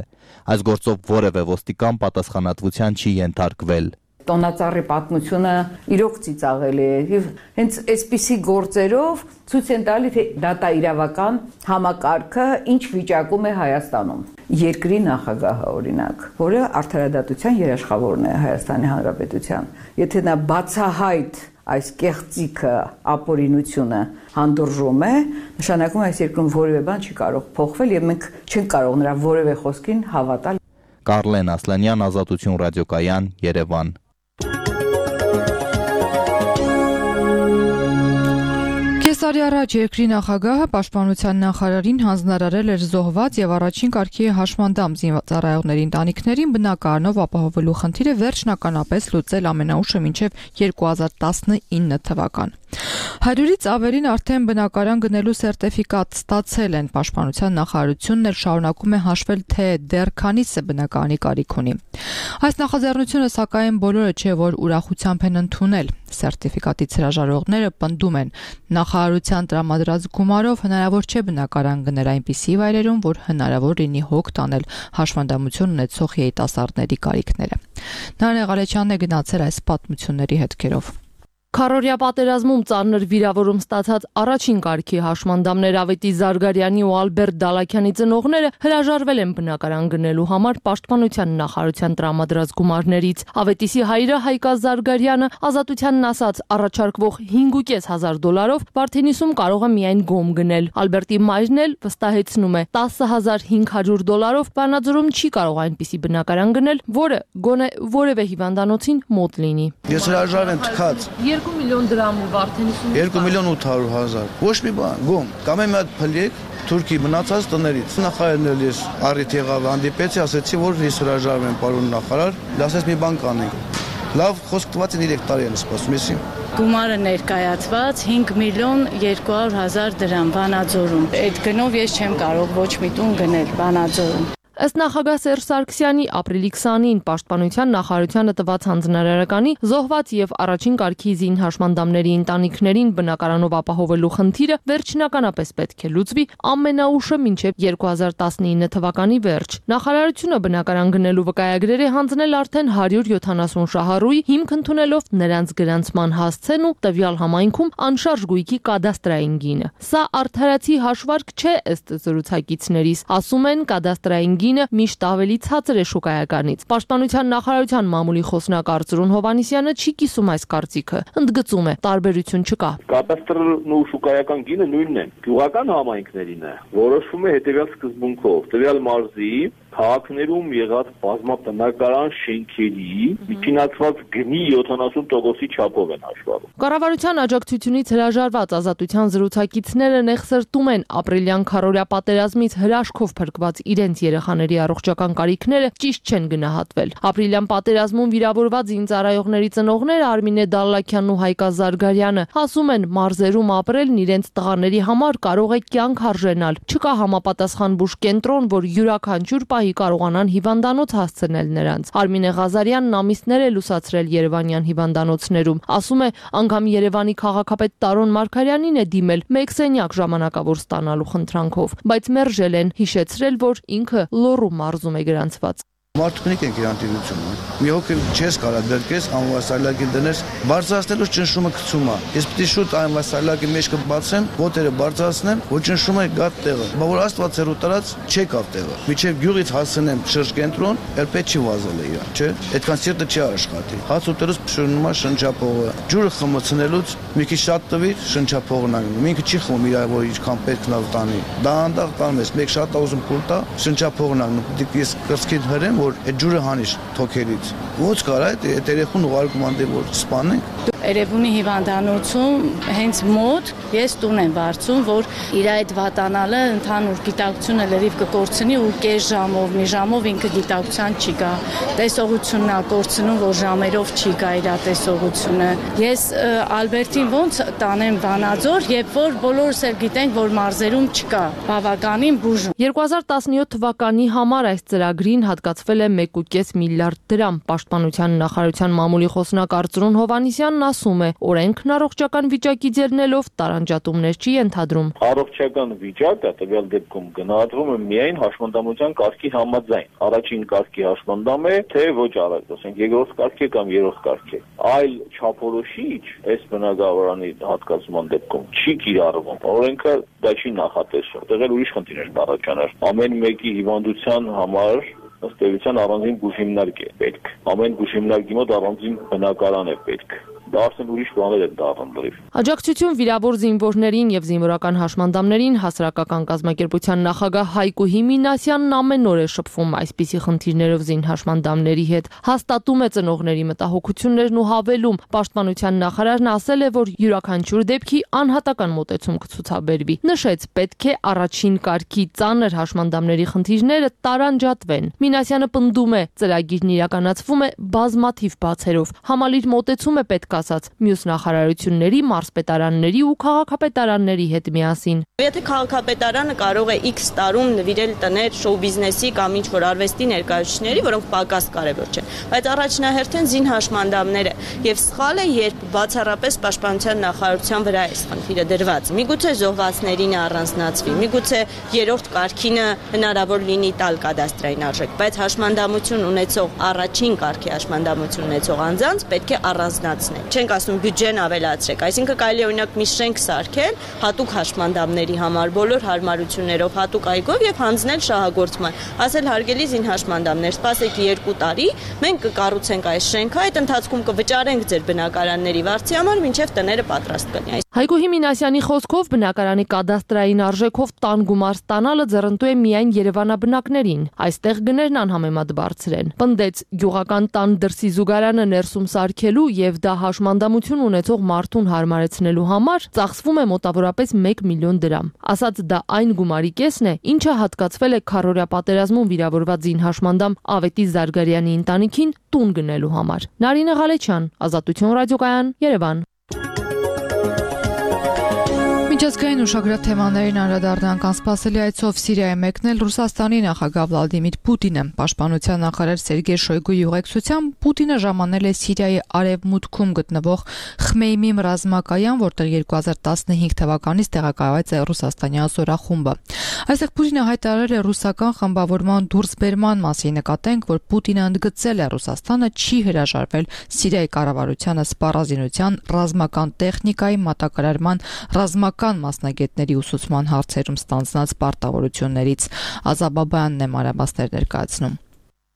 Այս գործով որևէ ոստիկան պատասխանատվության չի ենթարկվել։ Տոնածառի պատմությունը իրոք ծիծաղելի է եւ հենց այսպիսի գործերով ցույց են տալի, թե դատա իրավական համակարգը ինչ վիճակում է Հայաստանում։ Երկրի նախագահը օրինակ, որը արդարադատության երաշխավորն է Հայաստանի Հանրապետության, եթե նա բացահայտ այս կեղծիքը, ապօրինությունը հանդուրժում է, նշանակում է այս երկրում որևէ բան չի կարող փոխվել եւ մենք չենք կարող նրա որևէ խոսքին հավատալ։ Կարլեն Ասլանյան, Ազատություն ռադիոկայան, Երևան։ Կեսարի առաջ երկրի նախագահը պաշտպանության նախարարին հանձնարարել էր զոհված եւ առաջին կարգի հաշմանդամ զինծառայողների ընտանիքներին բնակարանով ապահովելու խնդիրը վերջնականապես լուծել ամենաուշը մինչեւ երկու հազար տասնինը թվական։ Հարյուրից ավելին արդեն բնակարան գնելու սերտիֆիկատ ստացել են։ Պաշտպանության նախարարությունն էլ շարունակում է հաշվել, թե դեռ քանիսը բնակարանի կարիք ունի։ Այս նախաձեռնությունը սակայն բոլորը չէ, որ ուրախությամբ են ընդունել։ Սերտիֆիկատից հրաժարողները պնդում են, նախարարության տրամադրած գումարով հնարավոր չէ բնակարան գնել այնպիսի վայրերում, որ հնարավոր լինի հոգ տանել հաշվանդամություն ունեցող երիտասարդների կարիքները։ Նարէ Ղալեչյանն է գնացել այս պատմությունների հետքերով։ Քարորյա պատերազմում ծանր վիրավորում ստացած առաջին կարգի հաշմանդամներ Ավետիս Զարգարյանի ու Ալբերտ Դալաքյանի ծնողները հրաժարվել են բնակարան գնելու համար պաշտպանության նախարարության տրամադրած գումարներից։ Ավետիսի հայրը Հայկազ Զարգարյանը ազատությանն ասած առաջարկվող հինգ հազար դոլարով Վարդենիսում կարող է միայն գոմ գնել։ Ալբերտի մայրն էլ վստահեցնում է տասը հազար հինգ հարյուր դոլարով Վանաձորում չի կարող այնպիսի բնակարան գնել, որը գոնե որևէ հիվանդանոցին մոտ լինի։ Ես հրաժարվել եմ թքած երկու միլիոն դրամ ու Վարդենիսում երկու միլիոն ութ հարյուր հազար։ Ոչ մի բան, գոմ։ Կամ մի հատ փլիկ Թուրքի մնացած տներից։ Նախարարն էլ ես առիթ եղավ հանդիպեցի, ասեցի, որ ես հրաժարվել եմ, պարոն նախարար, ասեց մի բան կանենք։ Լավ, խոսք տված են երեք տարի են սպասում, էսի։ Գումարը ներկայացված հինգ միլիոն երկու հարյուր հազար դրամ Վանաձորում։ Այդ գնով ես չեմ կարող ոչ մի տուն գնել Վանաձորում։ Ըստ նախագահ Սերժ Սարգսյանի ապրիլի քսանին պաշտպանության նախարարությանը տված հանձնարարականի զոհված եւ առաջին կարգի զին հաշմանդամների ընտանիքներին բնակարանով ապահովելու խնդիրը վերջնականապես պետք է լուծվի ամենաուշը մինչեւ երկու հազար տասնինը թվականի վերջ։ Նախարարությունը բնակարան գնելու վկայագրեր է հանձնել արդեն հարյուր յոթանասուն շահառուի, հիմք ընդունելով նրանց գրանցման հասցեն ու տվյալ համայնքում անշարժ գույքի կադաստրային գինը։ Սա արդարացի հաշվարկ չէ ըստ զրուցակիցներիս, ասում են կադաստրային գինը միշտ ավելի ցածր է շուկայականից։ Պաշտպանության նախարարության մամուլի խոսնակ Արծրուն Հովանիսյանը չի կիսում այս կարծիքը, ընդգծում է, տարբերություն չկա։ Կադաստրն ու շուկայական գինը նույնն են։ Գյուղական համայնքներին է որոշվում է հետևյալ սկզբունքով՝ տվյալ մարզի քաղաքներում եղած բազմաբնակարան շենքերի միջինացված գնի յոթանասուն տոկոսի չափով են հաշվառում։ Կառավարության աջակցությունից հրաժարված ազատության զրուցակիցները նեղսրտում են ապրիլյան քարորյա պատերազմից հրաշքով փրկված իրենց երեխաների առողջական կարիքները ճիշտ չեն գնահատվել։ Ապրիլյան պատերազմում վիրավորված զինծառայողների ծնողները Արմինե Դալլաքյանն ու Հայկազ Զարգարյանը ասում են, մարզերում ապրելն իրենց տղաների համար կարող է կյանք արժենալ։ Չկա համապատասխան բուժ կենտրոն, որ յուրաքանչյուր կարողանան հիվանդանոց հասցնել նրանց։ Արմինե Ղազարյանն ամիսներ է լուսացրել երևանյան հիվանդանոցներում։ Ասում է, անգամ Երևանի քաղաքապետ Տարոն Մարգարյանին է դիմել մեկ սենյակ ժամանակավոր ստանալու խնդրանքով, բայց մերժել են, հիշեցրել, որ ինքը Լոռու մարզում է գրանցված։ Մարդուկնիկ են գրանտիրությունը։ Մի հոգի չես կարա դրկես անվասալակի դնես, բարձրացնելու ճնշումը գցում է։ Ես պիտի շուտ անվասալակի մեջ կբացեմ, ոտերը բարձրացնեմ, որ ճնշումը գա տեղը։ Բա որ Աստված ցերու տարած չեկավ տեղը։ Միջև գյուղից հասնեմ շրջկենտրոն, երբեք չի վազել է իրան, չէ։ Այդքան սիրտը չի աշխատի։ Հաց ուտելուց շնչում է շնչափողը։ Ջուրը խմացնելուց մի քիչ շատ տվի, շնչափողն անգնում։ Ինքը չի խմում իր որ ինչքան պետք նա տանի։ Դա անդաղ տանում ես, մեկ շատ ուզում փուլ տա, շնչափողն անգնում։ Դիք ես կրծքին հրեմ որ այդ ջուրը հանիշ թոքերից։ Ո՞նց կարա այդ երեխուն ուղարկում անդե որ սպանենք։ Երևանի հիվանդանոցում հենց մոտ ես տուն եմ վարձում, որ իր այդ վատանալը ընդհանուր գիտակցությունը լրիվ կկորցնի ու կես ժամով, մի ժամով ինքը գիտակցության չի գա։ Տեսողությունն է կորցնում, որ ժամերով չի գա իր տեսողությունը։ Ես Ալբերտին ոնց տանեմ Վանաձոր, երբ որ բոլորս էլ գիտենք, որ մարզերում չկա բավականին բուժ։ երկու հազար տասնյոթ թվականի համար այս ծրագրին հատկացվել է մեկ կես միլիարդ դրամ։ Պաշտպանության նախարարության մամուլի խոսնակ Արծրուն Հովանիսյանն ասում է, օրենքն առողջական վիճակի ձեռնելով տարանջատումներ չի ենթադրում։ Առողջական վիճակը տվյալ դեպքում գնահատվում է միայն հաշմանդամության կարգի համաձայն։ Առաջին կարգի հաշմանդամ է, թե ոչ առանց, ասենք երկրորդ կարգի կամ երրորդ կարգի։ Այլ չափորոշիչ այս բնակարանի հատկացման դեպքում չի կիրառվում։ Օրենքը դա չի նախատեսում։ Տեղել ուրիշ խնդիրներ կառաջանար։ Ամեն մեկի հիվանդության համար ըստ էության առանձին բուժիմնարկ է պետք։ Ամեն բուժիմնարկի մոտ առանձին բնակարան է պետք։ Դա արդեն ուրիշ բաներ են դառնում լրիվ։ Աջակցություն վիրավոր զինվորներին եւ զինվորական հաշմանդամներին հասարակական կազմակերպության նախագահ Հայկո Հիմինասյանն ամեն օր է շփվում այսպիսի խնդիրներով զին հաշմանդամների հետ, հաստատում է ծնողների մտահոգություններն ու հավելում։ Պաշտպանության նախարարն ասել է, որ յուրաքանչյուր դեպքի անհատական մոտեցում կցուցաբերվի։ Նշեց, պետք է առաջին կարգի ծանր հաշմանդամների խնդիրները տարանջատվեն։ Մինասյանը պնդում է, ծրագիրն իրականացվում է բազմաթիվ բացերով։ Համալիր մոտեցում է պետք ասած, մյուս նախարարությունների, մարզպետարանների ու քաղաքապետարանների հետ միասին։ Եթե քաղաքապետարանը կարող է X տարում նվիրել տներ շոու բիզնեսի կամ ինչ-որ արվեստի ներկայացուցիչների, որոնք պակաս կարևոր չեն, բայց առաջնահերթին զին հաշմանդամները եւ սխալ է, երբ բացառապես պաշտպանության նախարարության վրա է խնդիրը դրված։ Միգուցե զոհվածներին առանձնացվի, միգուցե երրորդ կարգինը հնարավոր լինի տալ կադաստրային արժեք, բայց հաշմանդամություն ունեցող առաջին կարգի հաշմանդամություն ունեցող անձանց պետք է առանձնացնել։ Չենք ասում բյուջեն ավելացրեք, այսինքն կարելի է օրինակ մի շենք սարքել հատուկ հաշմանդամների համար բոլոր հարմարություններով, հատուկ այգով եւ հանձնել շահագործման։ Ասել հարգելի զին հաշմանդամներ, սպասեք երկու տարի, մենք կկառուցենք այս շենքը, այդ ընթացքում կվճարենք ձեր բնակարանների վարձի համար, մինչեւ տները պատրաստ կլինի։ Հայգոհի Մինասյանի խոսքով բնակարանի կադաստրային արժեքով տան գումար ստանալը ձեռնտու է միայն երևանաբնակներին։ Այստեղ գներն անհամեմատ բարձր են։ Պնդեց, գյուղական տան դրսի զուգարանը ներսում սարքելու եւ դա հաշմանդամություն ունեցող մարդուն հարմարեցնելու համար ծախսվում է մոտավորապես մեկ միլիոն դրամ։ Ասած դա այն գումարի կեսն է, ինչը հատկացվել է քառօրյա պատերազմում վիրավորված զին հաշմանդամ Ավետիս Զարգարյանի ընտանիքին տուն գնելու համար։ Նարինե Ղալեչյան, Ազատություն ռադիոկայան, Երևան։ Միջազգային ուշագրավ թեմաներին անդրադառնանք անսպասելի այցով Սիրիայի մեկնել Ռուսաստանի նախագահ Վլադիմիր Պուտինը։ Պաշտպանության նախարար Սերգեյ Շոյգուի ուղեկցությամբ Պուտինը ժամանել է Սիրիայի արևմուտքում գտնվող Խմեյմիմ ռազմակայան, որտեղ երկու հազար տասնհինգ թվականից տեղակայված է ռուսաստանյան զորախումբը։ Այստեղ Պուտինը հայտարարել է ռուսական խմբավորման դուրսբերման մասին, նկատենք, որ Պուտինը ընդգծել է Ռուսաստանը չի հրաժարվել Սիրիայի կառավարությանը սպառազինության, ռազմական տեխնիկայի մատակարարման, ռազմական մասնագետների ուսուցման հարցերում ստանձնած պարտավորություններից։ Ազաբաբյանն է մանրամասներ ներկայացնում։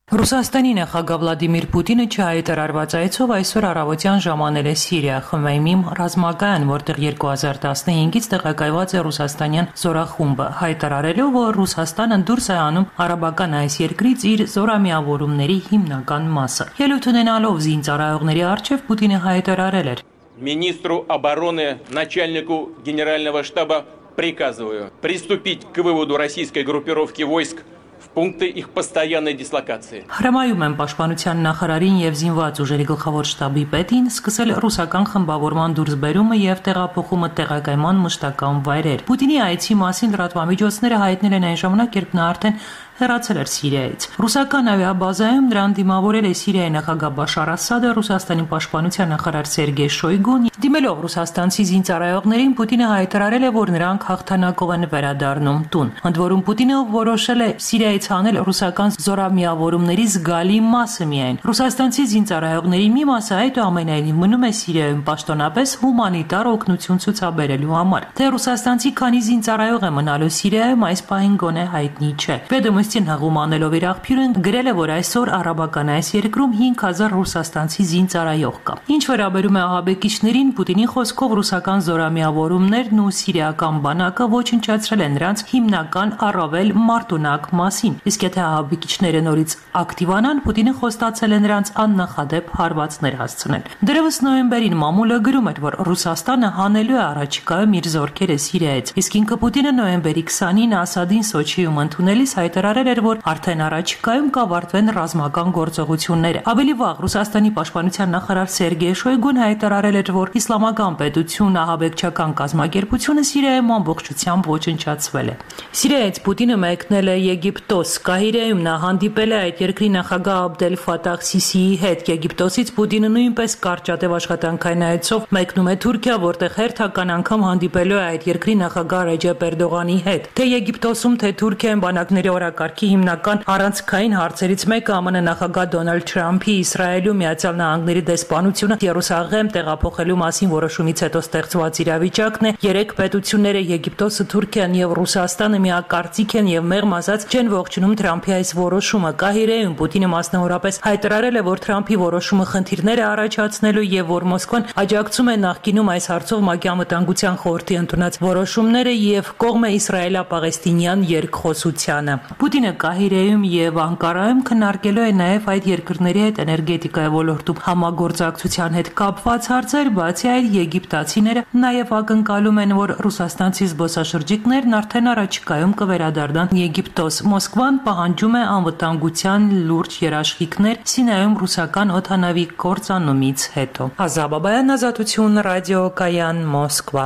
Ռուսաստանի նախագահ Վլադիմիր Պուտինը չհայտարարված այցով այսօր առավոտյան ժամանել է Սիրիա Խմեյմիմ ռազմակայան, որտեղ երկու հազար տասնհինգից տեղակայված է ռուսաստանյան զորախումբը, հայտարարելով, որ Ռուսաստանը դուրս է անում արաբական այս երկրից իր զորամիավորումների հիմնական մասը։ Ելույթ ունենալով զինծառայողների առջև Պուտինը հայտարարել էր. Министру обороны, начальнику генерального штаба приказываю приступить к выводу российской группировки войск в пункты их постоянной дислокации. Հրամայում եմ պաշտպանության նախարարին եւ զինված ուժերի գլխավոր շտաբի պետին սկսել ռուսական խմբավորման դուրսբերումը եւ տեղափոխումը տեղակայման մշտական վայրեր։ Պուտինի այցի մասին լրատվամիջոցները հայտնել են այն ժամանակ, երբ նա արդեն հեռացել էր Սիրիայից։ Ռուսական ավիաբազայում նրան դիմավորել է Սիրիայի նախագահ Բաշար Ասադը, Ռուսաստանի պաշտպանության նախարար Սերգեյ Շոյգուն։ Դիմելով ռուսաստանցի զինծառայողներին, Պուտինը հայտարարել է, որ նրանք հաղթանակով են վերադառնում տուն։ Ընդ որում Պուտինը որոշել է Սիրիայից հանել ռուսական զորամիավորումների զգալի մասը միայն։ Ռուսաստանցի զինծառայողների մի մասը այդուամենայնիվ մնում է Սիրիայում պաշտոնապես հումանիտար օգնություն ցուցաբերելու համար։ Թե ռուսաստանցի քանի զինծառայող է մնալու Սիրիայում, այս պահին գոնե հայտնի չէ։ Պետդոմստին հաղում անելով իր աղբյուրն գրել է, որ այսօր արաբական այս երկրում հինգ հազար ռուսաստանցի զինծառայող կա։ Ինչ վերաբերում է ահաբեկիչներին, Պուտինի խոսքով ռուսական զորամիավորումներն ու սիրիական բանակը ոչնչացրել են նրանց հիմնական առավել մարտունակ մասին։ Իսկ եթե ահաբեկիչները նորից ակտիվանան, Պուտինը խոստացել է նրանց աննախադեպ հարվածներ հասցնել։ Դեռևս նոյեմբերին մամուլը գրում էր, որ Ռուսաստանը հանելու է առաջիկայում իր զորքերը Սիրիայից, իսկ ինքը Պուտինը նոյեմբերի քսանինը Ասադին Սոչիում ընդունելիս հայտարարել էր, որ արդեն առաջիկայում կավարտվեն ռազմական գործողությունները։ Ավելի վաղ Ռուսաստանի պաշտպանության նախարար Սերգեյ Շոյգուն հայտարարել էր, որ իսլամական պետություն ահաբեկչական կազմակերպությունը Սիրիայում ամբողջությամբ ոչնչացվել է։ Սիրիայից Պուտինը մեկնել է Եգիպտոս։ Կահիրեում նա հանդիպել է այդ երկրի նախագահ Աբդել Ֆաթահ Սիսիի հետ։ Եգիպտոսից Պուտինը նույնպես կարճատև աշխատանքային այցով մեկնում է Թուրքիա, որտեղ հերթական անգամ հանդիպելու է այդ երկրի նախագահ Ռեջեփ Էրդողանի հետ։ Թե Եգիպտոսում, թե Թուրքիայում բանակների օրակարգի հիմնական առանցքային հարցերից մեկը ԱՄՆ նախագահ Դոնալդ Թրամփի Իսրայելում Միացյալ Նահանգների դեսպանությունը Երուսաղեմ տեղափոխելու մասին որոշումից հետո ստեղծված իրավիճակն է։ Երեք պետությունները Եգիպտոսը, Թուրքիան եւ Ռուսաստանը միակարծիք են եւ մեղմ ասած չեն ողջունում Թրամփի այս որոշումը։ Կահիրեում Պուտինը մասնավորապես հայտարարել է, որ Թրամփի որոշումը խնդիրներ է առաջացնելու եւ որ Մոսկվան աջակցում է նախկինում այս հարցով ՄԱԿ-ի անվտանգության խորհրդի ընդունած որոշումները եւ կողմ է իսրայելա-պաղեստինյան երկխոսությանը։ Պուտինը Պուտինը Կահիրեում եւ Անկարայում քննարկելու է նաեւ այդ երկրների հետ էներգետիկայի ոլորտում համագործակցության հետ կապված հարցեր, բացի այդ եգիպտացիները նաեւ ակնկալում են, որ ռուսաստանցի զբոսաշրջիկներն արդեն առաջիկայում կվերադառնան Եգիպտոս։ Մոսկվան պահանջում է անվտանգության լուրջ երաշխիքներ Սինայում ռուսական օդանավի կործանումից հետո։ Ազատ Բաբայան, Ազատություն, ռադիո Կայան, Մոսկվա։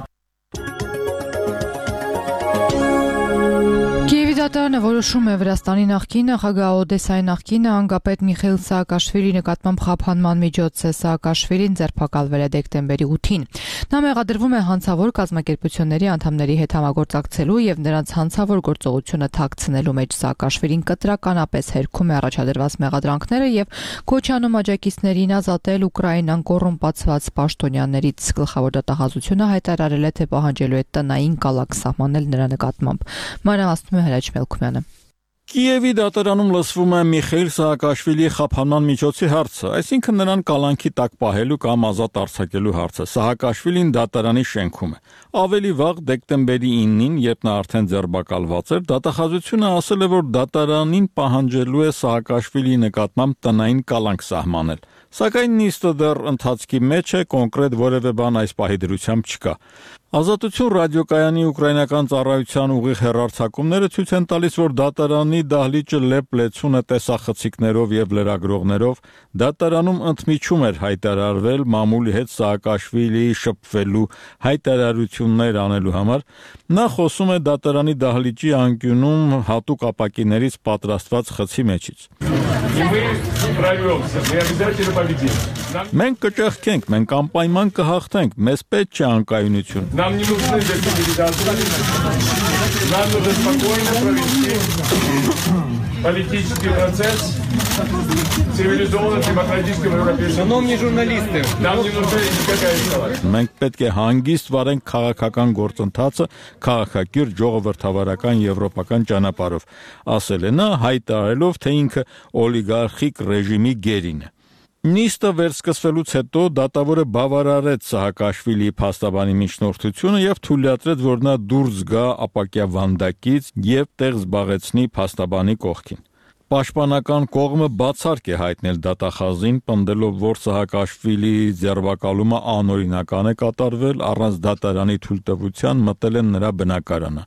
Դատարանը որոշում է Վրաստանի նախկին նախագահ Օդեսայի նախկին անգապետ Միխեիլ Սաակաշվիլի նկատմամբ խափանման միջոց է։ Սաակաշվիլին ձերբակալվել է դեկտեմբերի ութին։ Նա մեղադրվում է հանցավոր կազմակերպությունների անդամների հետ համագործակցելու եւ նրանց հանցավոր գործողությունը թաքցնելու մեջ։ Սաակաշվիլին կտրականապես հերքում է առաջադրված մեղադրանքները եւ Քոչանում աջակիցներին ազատել Ուկրաինան կոռումպացված պաշտոնյաներից։ Գլխավոր դատախազությունը հայտարարել է, թե պահանջելու է տնային կալակ սահմանել նրա նկատմամբ։ Մանրամասնում է Հրաչ Մելքումյանը։ Կիևի դատարանում լսվում է Միխեիլ Սաակաշվիլի խափանման միջոցի հարցը, այսինքն նրան կալանքի տակ պահելու կամ ազատ արձակելու հարցը։ Սաակաշվիլին դատարանի շենքում է։ Ավելի վաղ դեկտեմբերի իննին, երբ նա արդեն ձերբակալված էր, դատախազությունը ասել է, որ դատարանին պահանջելու է Սաակաշվիլի նկատմամբ տնային կալանք սահմանել։ Սակայն նիստը դեռ ընթացքի մեջ է, կոնկրետ որևէ բան այս պահի դրությամբ չկա։ Ազատություն ռադիոկայանի ուկրաինական ծառայության ուղիղ հեռարձակումները ցույց են տալիս, որ դատարանի դահլիճը լեփ-լեցուն է տեսախցիկներով եւ լրագրողներով։ Դատարանում ընդմիջում էր հայտարարվել մամուլի հետ Սաակաշվիլիի շփվելու հայտարարություններ անելու համար։ Նա խոսում է դատարանի դահլիճի անկյունում հատուկ ապակիներից պատրաստված խցի մեջից։ Մենք կճեղքենք, մենք անպայման կհաղթենք, մեզ պետք չէ անկայունություն։ Нам не нужны дискредитации. Нам нужно спокойно провести политический процесс в цивилизованном демократическом европейском. Шановні журналісти, нам не нужна никакая эскалация. Մենք պետք է հանգիստ վարենք քաղաքական գործընթացը քաղաքակիրթ ժողովրդավարական եվրոպական ճանապարհով, ասել է նա, հայտարարելով, թե ինքը օլիգարխիկ ռեժիմի գերին է։ Նիստը վերսկսվելուց հետո դատավորը բավարարեց Սահակաշվիլիի փաստաբանի միջնորդությունը եւ թույլատրեց, որ նա դուրս գա ապակյա վանդակից եւ տեղ զբաղեցնի փաստաբանի կողքին։ Պաշտպանական կողմը բացառք է հայտնել դատախազին, պնդելով, որ Սահակաշվիլիի ձերբակալումը անօրինական է կատարվել, առանց դատարանի թույլտվության մտել են նրա բնակարանը։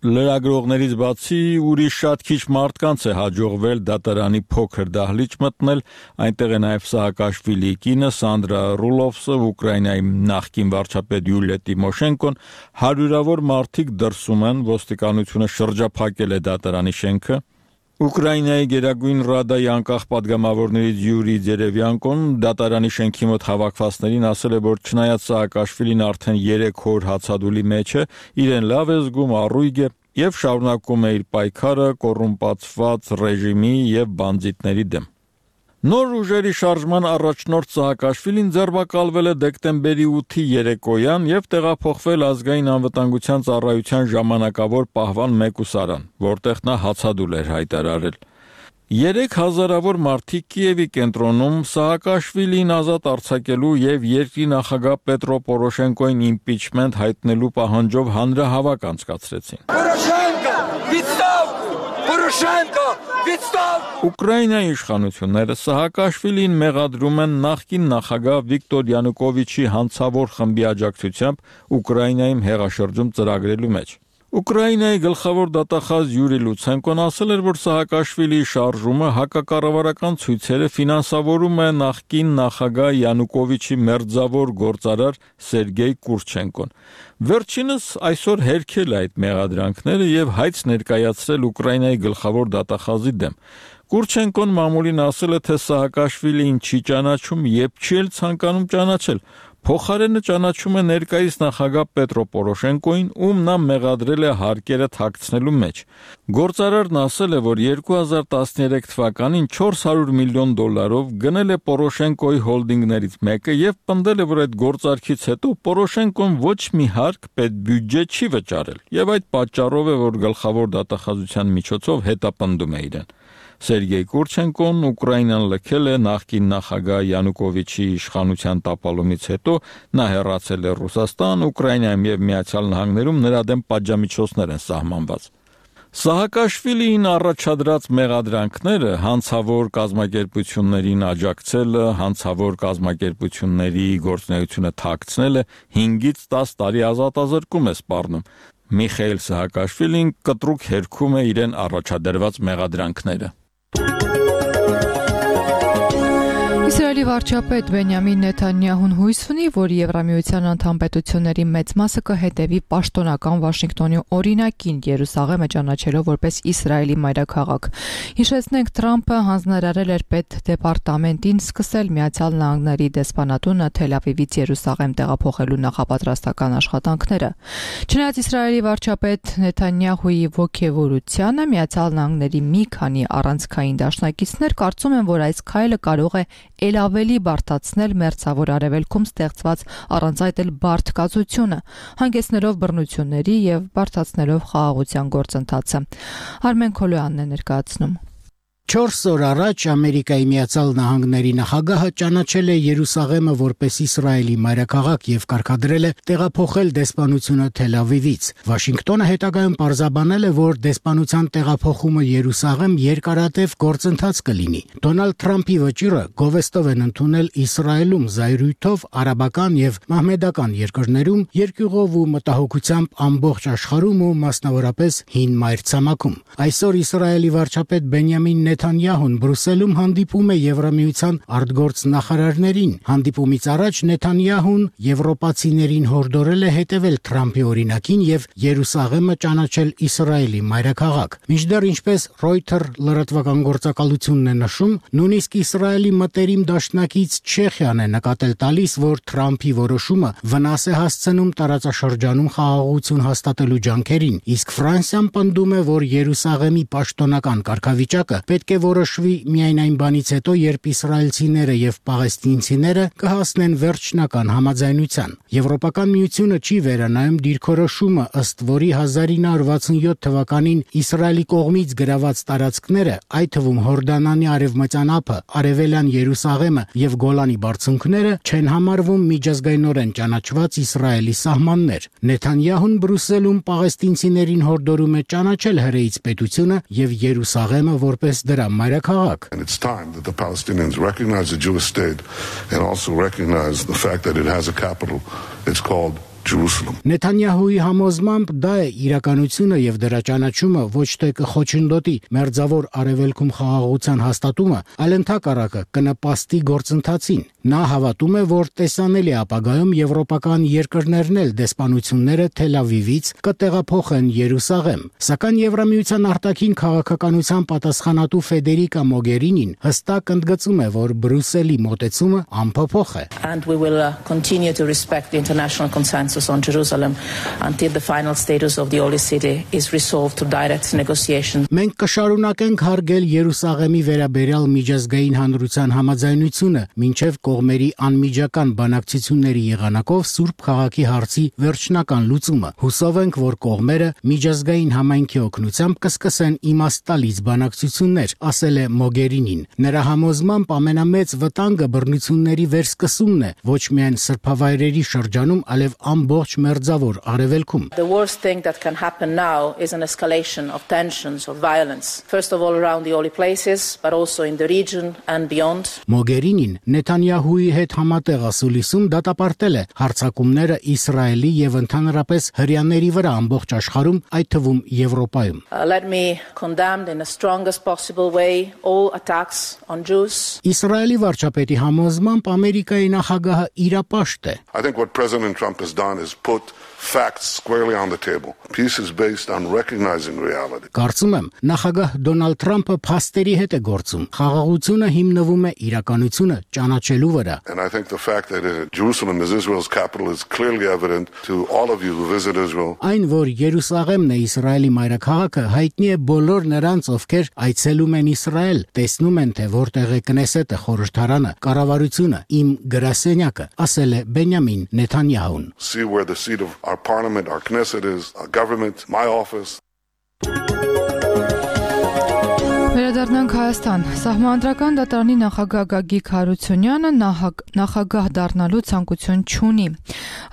Լրագրողներից բացի ուրիշ շատ քիչ մարդկանց է հաջողվել դատարանի փոքր դահլիճ մտնել, այնտեղ է նաև Սահակաշվիլիի կինը Սանդրա Ռուլովսը, Ուկրաինայի նախկին վարչապետ Յուլիա Տիմոշենկոն, հարյուրավոր մարդիկ դրսում են, ոստիկանությունը շրջափակել է դատարանի շենքը։ Ուկրաինայի Գերագույն Ռադայի անկախ պատգամավորներից Յուրի Ձերևյանկոն դատարանի շենքի մոտ հավաքվածներին ասել է, որ չնայած Սաակաշվիլին արդեն երեք օր հացադուլի մեջ է, իրեն լավ է զգում, առույգ է եւ շարունակում է իր պայքարը կոռումպացված ռեժիմի եւ բանդիտների դեմ։ Նոր ուժերի շարժման առաջնորդ Սահակաշվիլին ձերբակալվել է դեկտեմբերի ութի երեկոյան եւ տեղափոխվել ազգային անվտանգության ծառայության ժամանակավոր պահվան մեկուսարան, որտեղ նա հացադուլ էր հայտարարել։ Երեք հազարավոր մարդիկ Կիևի կենտրոնում Սահակաշվիլին ազատ արձակելու եւ երկրի նախագահ Պետրո Պորոշենկոին իմպիչմենտ հայտնելու պահանջով հանրահավաք անցկացրեցին։ Ուկրաինայի իշխանությունները Սահակաշվիլին մեղադրում են նախկին նախագահ Վիկտոր Յանուկովիչի հանցավոր խմբի աջակցությամբ Ուկրաինայում հեղաշրջում ծրագրելու մեջ։ Ուկրաինայի գլխավոր դատախազ Յուրի Լուցենկոն ասել էր, որ Սահակաշվիլիի շարժումը հակակառավարական ցույցերը ֆինանսավորում է նախկին նախագահ Յանուկովիչի մերձավոր գործարար Սերգեյ Կուրչենկոն։ Վերջինս այսօր հերքել է այդ մեղադրանքները եւ հայց ներկայացրել Ուկրաինայի գլխավոր դատախազի դեմ։ Կուրչենկոն մամուլին ասել է, թե Սահակաշվիլին չի ճանաչում եւ չի էլ ցանկանում ճանաչել։ Փոխարենը ճանաչում է ներկայիս նախագահ Պետրո Պորոշենկոին, ում նա մեղադրել է հարկերը թաքցնելու մեջ։ Գործարարն ասել է, որ երկու հազար տասներեք թվականին չորս հարյուր միլիոն դոլարով գնել է Պորոշենկոյի հոլդինգներից մեկը եւ պնդել է, որ այդ գործարքից հետո Պորոշենկոն ոչ մի հարկ պետբյուջե չի վճարել եւ այդ պատճառով է, որ գլխավոր դատախազության միջոցով հետապնդում է իրեն։ Սերգեյ Կուրչենկոն Ուկրաինան լքել է նախկին նախագահ Յանուկովիչի իշխանության տապալումից հետո, նա հեռացել է Ռուսաստան, Ուկրաինայում եւ Միացյալ Նահանգներում նրա դեմ պատժամիջոցներ են սահմանված։ Սահակաշվիլին առաջադրած մեղադրանքները հանցավոր կազմակերպություններին աջակցելը, հանցավոր կազմակերպությունների գործունեությունը թաքցնելը հինգից տաս տարի ազատազրկում է սպառնում։ Միխայել Սահակաշվիլին կտրուկ հերքում է իրեն առաջադրված մեղադրանքները։ Իսրայելի վարչապետ Բենյամին Նեթանյահուն հույս ունի, որ Եվրամիության անդամ պետությունների մեծ մասը կհետևի պաշտոնական Վաշինգտոնի օրինակին Երուսաղեմը ճանաչելով որպես Իսրայելի մայրաքաղաք։ Հիշեցնենք, Թրամփը հանձնարարել էր պետդեպարտամենտին սկսել Միացյալ Նահանգների դեսպանատունը Թել Ավիվից Երուսաղեմ տեղափոխելու նախապատրաստական աշխատանքները։ Չնայած Իսրայելի վարչապետ Նեթանյահուի ոգևորությանը, Միացյալ Նահանգների մի քանի առանցքային դաշնակիցներ կարծում են, որ այս քայլը կարող է էլ ավելի բարդացնել մերձավոր արևելքում ստեղծված առանց այդ էլ բարդ կացությունը, հանգեցնելով բռնությունների եւ բարդացնելով խաղաղության գործընթացը։ Արմեն Քոլոյանն է ներկայացնում։ Չորս օր առաջ Ամերիկայի Միացյալ Նահանգների նախագահը ճանաչել է Երուսաղեմը որպես Իսրայելի մայրաքաղաք եւ կարգադրել է տեղափոխել դեսպանությունը Թել Ավիվից։ Վաշինգտոնը հետագայում պարզաբանել է, որ դեսպանության տեղափոխումը Երուսաղեմ երկարատև գործընթաց կլինի։ Դոնալդ Թրամփի վճիռը գովեստով են ընդունել Իսրայելում, զայրույթով, արաբական եւ մահմեդական երկրներում, երկյուղով ու մտահոգությամբ ամբողջ աշխարհում ու մասնավորապես հին մայրցամաքում։ Այսօր Իսրայելի վարչապետ Բենյամին Նեթանյահուն Բրուսելում հանդիպում է Եվրամիության արտգործ նախարարներին։ Հանդիպումից առաջ Նեթանյահուն եվրոպացիներին հորդորել է հետևել Թրամփի օրինակին եւ Երուսաղեմը ճանաչել Իսրայելի մայրաքաղաք։ Մինչդեռ, ինչպես Reuters լրատվական գործակալությունն է նշում, նույնիսկ Իսրայելի մտերիմ դաշնակից Չեխիան է նկատել տալիս, որ Թրամփի որոշումը վնաս է հասցնում տարածաշրջանում խաղաղություն հաստատելու ջանքերին, իսկ Ֆրանսիան պնդում է, որ Երուսաղեմի պաշտոնական կարգավիճակը պետք է որոշվի միայն այն բանից հետո, երբ իսրայելցիները եւ պաղեստինցիները կհասնեն վերջնական համաձայնության։ Եվրոպական միությունը չի վերանայում դիրքորոշումը, ըստ որի հազար ինը հարյուր վաթսունյոթ թվականին Իսրայելի կողմից գրաված տարածքները, այդ թվում Հորդանանի արևմտյան ափը, արևելյան Երուսաղեմը եւ Գոլանի բարձունքները չեն համարվում միջազգայինորեն ճանաչված Իսրայելի սահմաններ։ Նեթանյահուն Բրուսելում պաղեստինցիներին հորդորում է ճանաչել հրեից պետությունը եւ Երուսաղեմը որպես դրա մայրաքաղաք։ And it's time that the Palestinians recognize the Jewish state and also recognize the fact that it has a capital. It's called Jerusalem. Նեթանյահուի համոզմամբ դա է իրականությունը եւ դրա ճանաչումը ոչ թե կխոչընդոտի մերձավոր արևելքում խաղաղության հաստատումը, այլ ընդհակառակը կնպաստի գործընթացին։ Նա հավատում է, որ տեսանելի ապագայում եվրոպական երկրներն էլ դեսպանությունները Թել Ավիվից կտեղափոխեն Երուսաղեմ։ Սակայն Եվրամիության արտաքին քաղաքականության պատասխանատու Ֆեդերիկա Մոգերինին հստակ ընդգծում է, որ Բրուսելի մոտեցումը անփոփոխ է։ And we will uh, continue to respect the international consensus on Jerusalem until the final status of the holy city is resolved to direct negotiations. Մենք կշարունակենք հարգել Երուսաղեմի վերաբերյալ միջազգային հանրության համաձայնությունը, մինչև կողմերի անմիջական բանակցությունների եղանակով Սուրբ քաղաքի հարցի վերջնական լուծումը։ Հուսով ենք, որ կողմերը միջազգային համայնքի օգնությամբ կսկսեն իմաստալից բանակցություններ, ասել է Մոգերինին։ Նրա համոզմամբ ամենամեծ վտանգը բռնությունների վերսկսումն է, ոչ միայն սրբավայրերի շրջանում, այլև ամբողջ մերձավոր արևելքում։ The worst thing that can happen now is an escalation of tensions, of violence, first of all around the holy places, but also in the region and beyond. Մոգերինին Նեթանյահուի հետ համատեղ ասուլիսում դատապարտել է հարձակումները Իսրայելի եւ ընդհանրապես հրեաների վրա ամբողջ աշխարհում, այդ թվում Եվրոպայում։ Uh, let me condemn in the strongest possible way all attacks on Jews. Իսրայելի վարչապետի համոզմամբ Ամերիկայի նախագահը իրապաշտ է։ I think what President Trump has done is put facts squarely on the table. Peace is based on recognizing reality. Կարծում եմ, նախագահ Դոնալդ Թրամփը փաստերի հետ է գործում։ Խաղաղությունը հիմնվում է իրականությունը ճանաչելու վրա։ And I think the fact that uh, Jerusalem is Israel's capital is clearly evident to all of you who visit Israel. Այն, որ Երուսաղեմն է Իսրայելի մայրաքաղաքը, հայտնի է բոլոր նրանց, ովքեր այցելում են Իսրայել, տեսնում են, թե որտեղ է Կնեսետը, խորհրդարանը, կառավարությունը, իմ գրասենյակը, ասել է Բենյամին Նեթանյահուն։ See where the seat of our parliament, our Knesset is, our government, my office. Անդրադառնանք Հայաստան։ Սահմանադրական դատարանի նախագահ Գագիկ Հարությունյանը նախագահ դառնալու ցանկություն չունի։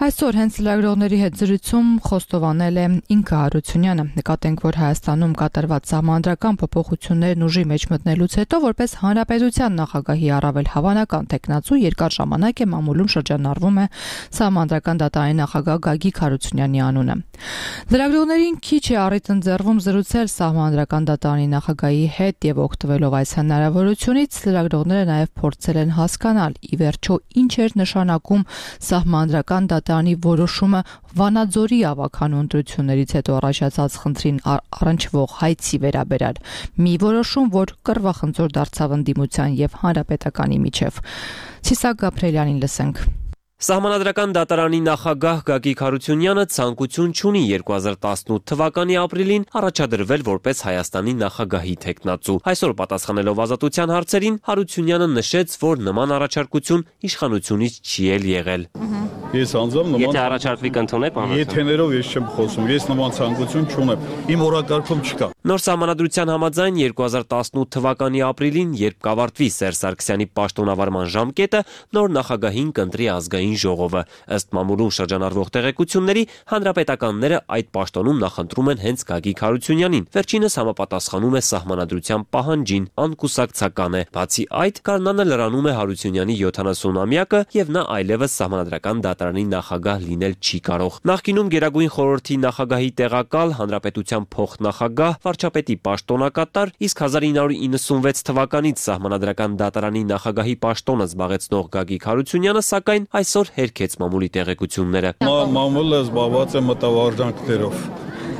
Այսօր հենց լրագրողների հետ զրույցում խոստովանել է ինքը Հարությունյանը։ Նկատենք, որ Հայաստանում կատարված սահմանադրական փոփոխություններն ուժի մեջ մտնելուց հետո որպես հանրապետության նախագահի առավել հավանական տեխնացու երկար ժամանակ է մամուլում շրջանառվում է սահմանադրական դատարանի նախագահ Գագիկ Հարությունյանի անունը։ Լրագրողներին քիչ է առիթ ընձեռվում զրուցել սահմանադրական դատարանի նախագահի հետ եւ օգտվելով այս հնարավորությունից լրագրողները նաեւ փորձել են հասկանալ ի վերջո ինչ էր նշանակում սահմանադրական դատարանի որոշումը Վանաձորի ավականու ընտրություններից հետո առաջացած խնդրին առնչվող հայցի վերաբերյալ մի որոշում, որ կռվախնդրոր դարձավ ընդդիմության եւ հանրապետականի միջև։ Ցիսակ Գաբրելյանին լսենք։ Սահմանադրական դատարանի նախագահ Գագիկ Հարությունյանը ցանկություն չունի երկու հազար տասնութ թվականի ապրիլին առաջադրվել որպես Հայաստանի նախագահի տեխնացու։ Այսօր պատասխանելով ազատության հարցերին Հարությունյանը նշեց, որ նման առաջարկություն իշխանությունից չի էլ եղել։ Ես անձամբ նման Եթե առաջարկվի կընդունեք, Եթեներով ես չեմ խոսում, ես նման ցանկություն չունեմ։ Իմ օրակարգում չկա։ Նոր սահմանադրության համաձայն երկու հազար տասնութ թվականի ապրիլին, երբ կավարտվի Սերժ Սարգսյանի պաշտոնավարման ժամկետը, նոր նախագահին կընտրի ազգային ժողովը։ Ըստ մամուլում շրջանառվող տեղեկությունների, հանրապետականները այդ պաշտոնում նախընտրում են հենց Գագիկ Հարությունյանին։ Վերջինս համապատասխանում է սահմանադրության պահանջին, անկուսակցական է։ Բացի այդ, գարնանը լրանում է Հարությունյանի յոթանասունամյակը եւ նա այլևս սահմանադրական դատարանի նախագահ լինել չի կարող։ Նախկինում Գերագույն խորհրդի նախագահի տեղակալ, հանրապետության փոխնախագահ, վարչապետի պաշտոնակատար, իսկ հազար ինը հարյուր իննսունվեց թվականից սահմանադրական դատարանի նախագահի պաշտոնը զբաղեցնող Գագիկ Հարությունյանը, սակայն այսօր հերքեց մամուլի տեղեկությունները։ Մամուլը զբաղված է մտավարժանքներով։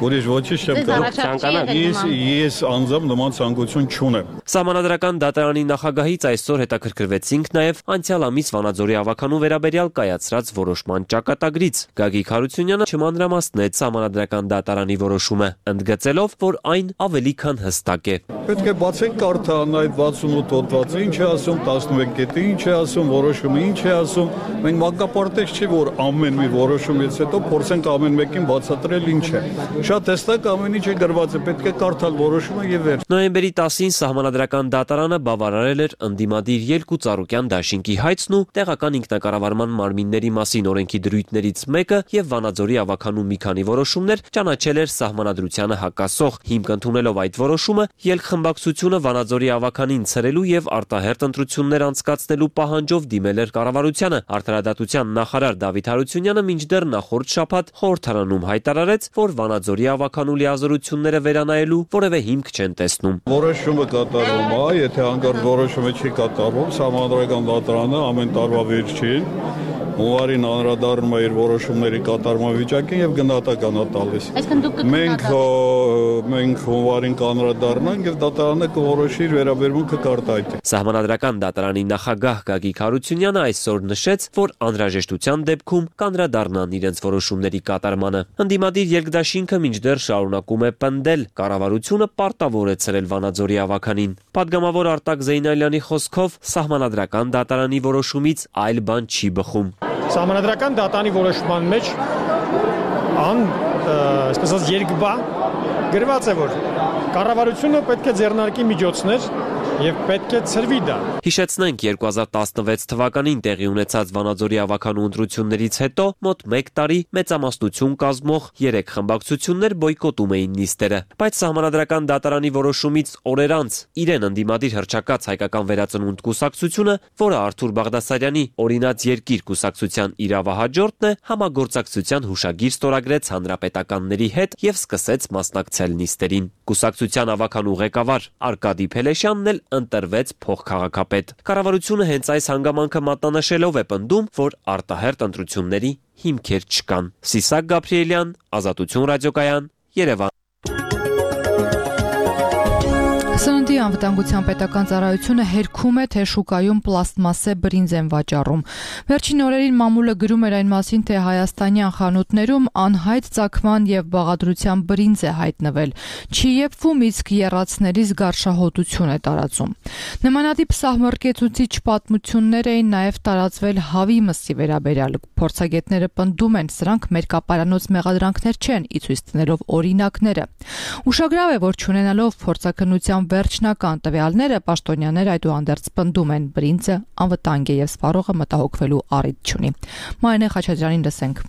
Ուրիշ ոչինչ չեմ կարող։ Ես ես անձամբ նման ցանկություն չունեմ։ Սահմանադրական դատարանի նախագահից այսօր հետաքրքրվեցինք նաև անցյալ ամիս Վանաձորի ավականու վերաբերյալ կայացրած որոշման ճակատագրից։ Գագիկ Հարությունյանը չմանրամասնեց սահմանադրական դատարանի որոշումը, ընդգծելով, որ այն ավելի քան հստակ է։ Պետք է բացենք կարթան այդ վաթսունութ հոդվածը, ինչ է ասում, տասնմեկ կետը ինչ է ասում, որոշումը ինչ է ասում։ Մենք մանկապարտեզ չի, որ ամեն մի որոշումից հետո փորձենք ամեն մեկին բացատրել ինչ է։ Շատ հստակ ամեն ինչ է գրված է, պետք է կարդալ որոշումը եւ վերջ։ Նոյեմբերի տասին սահմանադրական դատարանը բավարարել էր ընդդիմադիր Ելկու Ծառուկյան դաշինքի հայցն ու տեղական ինքնակառավարման մարմինների մասին օրենքի դրույթներից մեկը եւ Վանաձորի ավականու մի քանի որոշումներ ճանաչել էր սահմանադրությանը հակասող։ Հիմք ընդունելով այդ որոշումը, Ելք խմբակցությունը Վանաձորի ավականին ցրելու եւ արտահերթ ընտրություններ անցկացնելու պահանջով դիմել էր կառավարությանը։ Արդարադատության նախարար Դավիթ Հարությունյանը մինչդեռ նախորդ շաբաթ խորհրդարանում հայտարարեց, որ Վանաձորի ավականու լիազորությունները վերանայելու որևէ հիմք չեն տեսնում։ Որոշումը կատարվում է, եթե հանկարծ որոշումը չի կատարվում, սահմանադրական դատարանը ամեն տարվա վերջին հունվարին անդրադառնում է իր որոշումների կատարման վիճակին եւ գնահատական է տալիս։ Մենք մենք հունվարին կանրադառնանք եւ դատարանը կորոշի իր վերաբերմունքը կարտահայտի։ Սահմանադրական դատարանի նախագահ Գագիկ Հարությունյանը այսօր նշեց, որ անհրաժեշտության դեպքում կանրադառնան իրենց որոշումների կատարմանը։ Ընդդիմադիր երկդաշինքը մինչդեռ շարունակում է պնդել, կառավարությունը պարտավոր է ցրել Վանաձորի ավականին։ Պատգամավոր Արտակ Զեյնալյանի խոսքով սահմանադրական դատարանի որոշումից այլ բան չի բխում։ Սահմանադրական դատարանի որոշման մեջ ան, այսպես ասած, երկբա գրված է, որ կառավարությունը պետք է ձեռնարկի միջոցներ եւ պետք է ցրվի դա։ Հիշեցնենք երկու հազար տասնվեց թվականին տեղի ունեցած Վանաձորի ավականու ընտրություններից հետո մոտ մեկ տարի մեծամասնություն կազմող երեք խմբակցություններ բոյկոտում էին նիստերը, բայց սահմանադրական դատարանի որոշումից օրեր անց իրեն ընդդիմադիր հռչակած հայկական վերածնունդ կուսակցությունը, որը Արթուր Բաղդասարյանի օրինաց երկիր կուսակցության իրավահաջորդն է, համագործակցության հուշագիր ստորագրեց հանրապետականների հետ եւ սկսեց մասնակցել նիստերին։ Կուսակցության ավականու ղեկավար Արկադի Փելեշյանն էլ ընտրվեց փոխքաղաքապետ։ Կառավարությունը հենց այս հանգամանքը մատնանշելով է պնդում, որ արտահերթ ընտրությունների հիմքեր չկան։ Ցիսակ Գաբրիելյան, Ազատություն ռադիոկայան, Երևան։ Սննդի անվտանգության պետական ծառայությունը հերքում է, թե շուկայում պլաստմասե բրինձ են վաճառում։ Վերջին օրերին մամուլը գրում էր այն մասին, թե հայաստանյան խանութներում անհայտ ծագման եւ բաղադրության բրինձ է հայտնվել։ Չի եփվում, իսկ եռացներից գարշահոտություն է տարածում։ Նմանատիպ սահմռկեցուցիչ պատմություններ էին նաեւ տարածվել հավի մսի վերաբերյալ։ Փորձագետները պնդում են, սրանք մերկապարանոց մեղադրանքներ չեն, ի ցույց դնելով օրինակները։ Ուշագրավ է, որ չունենալով փորձաքննության Սպառողական վերջնական տվյալները պաշտոնյաները այդուհանդերձ պնդում են, բրինձը անվտանգ է եւ սպառողը մտահոգվելու առիթ չունի։ Մարինե Խաչատրյանին լսենք։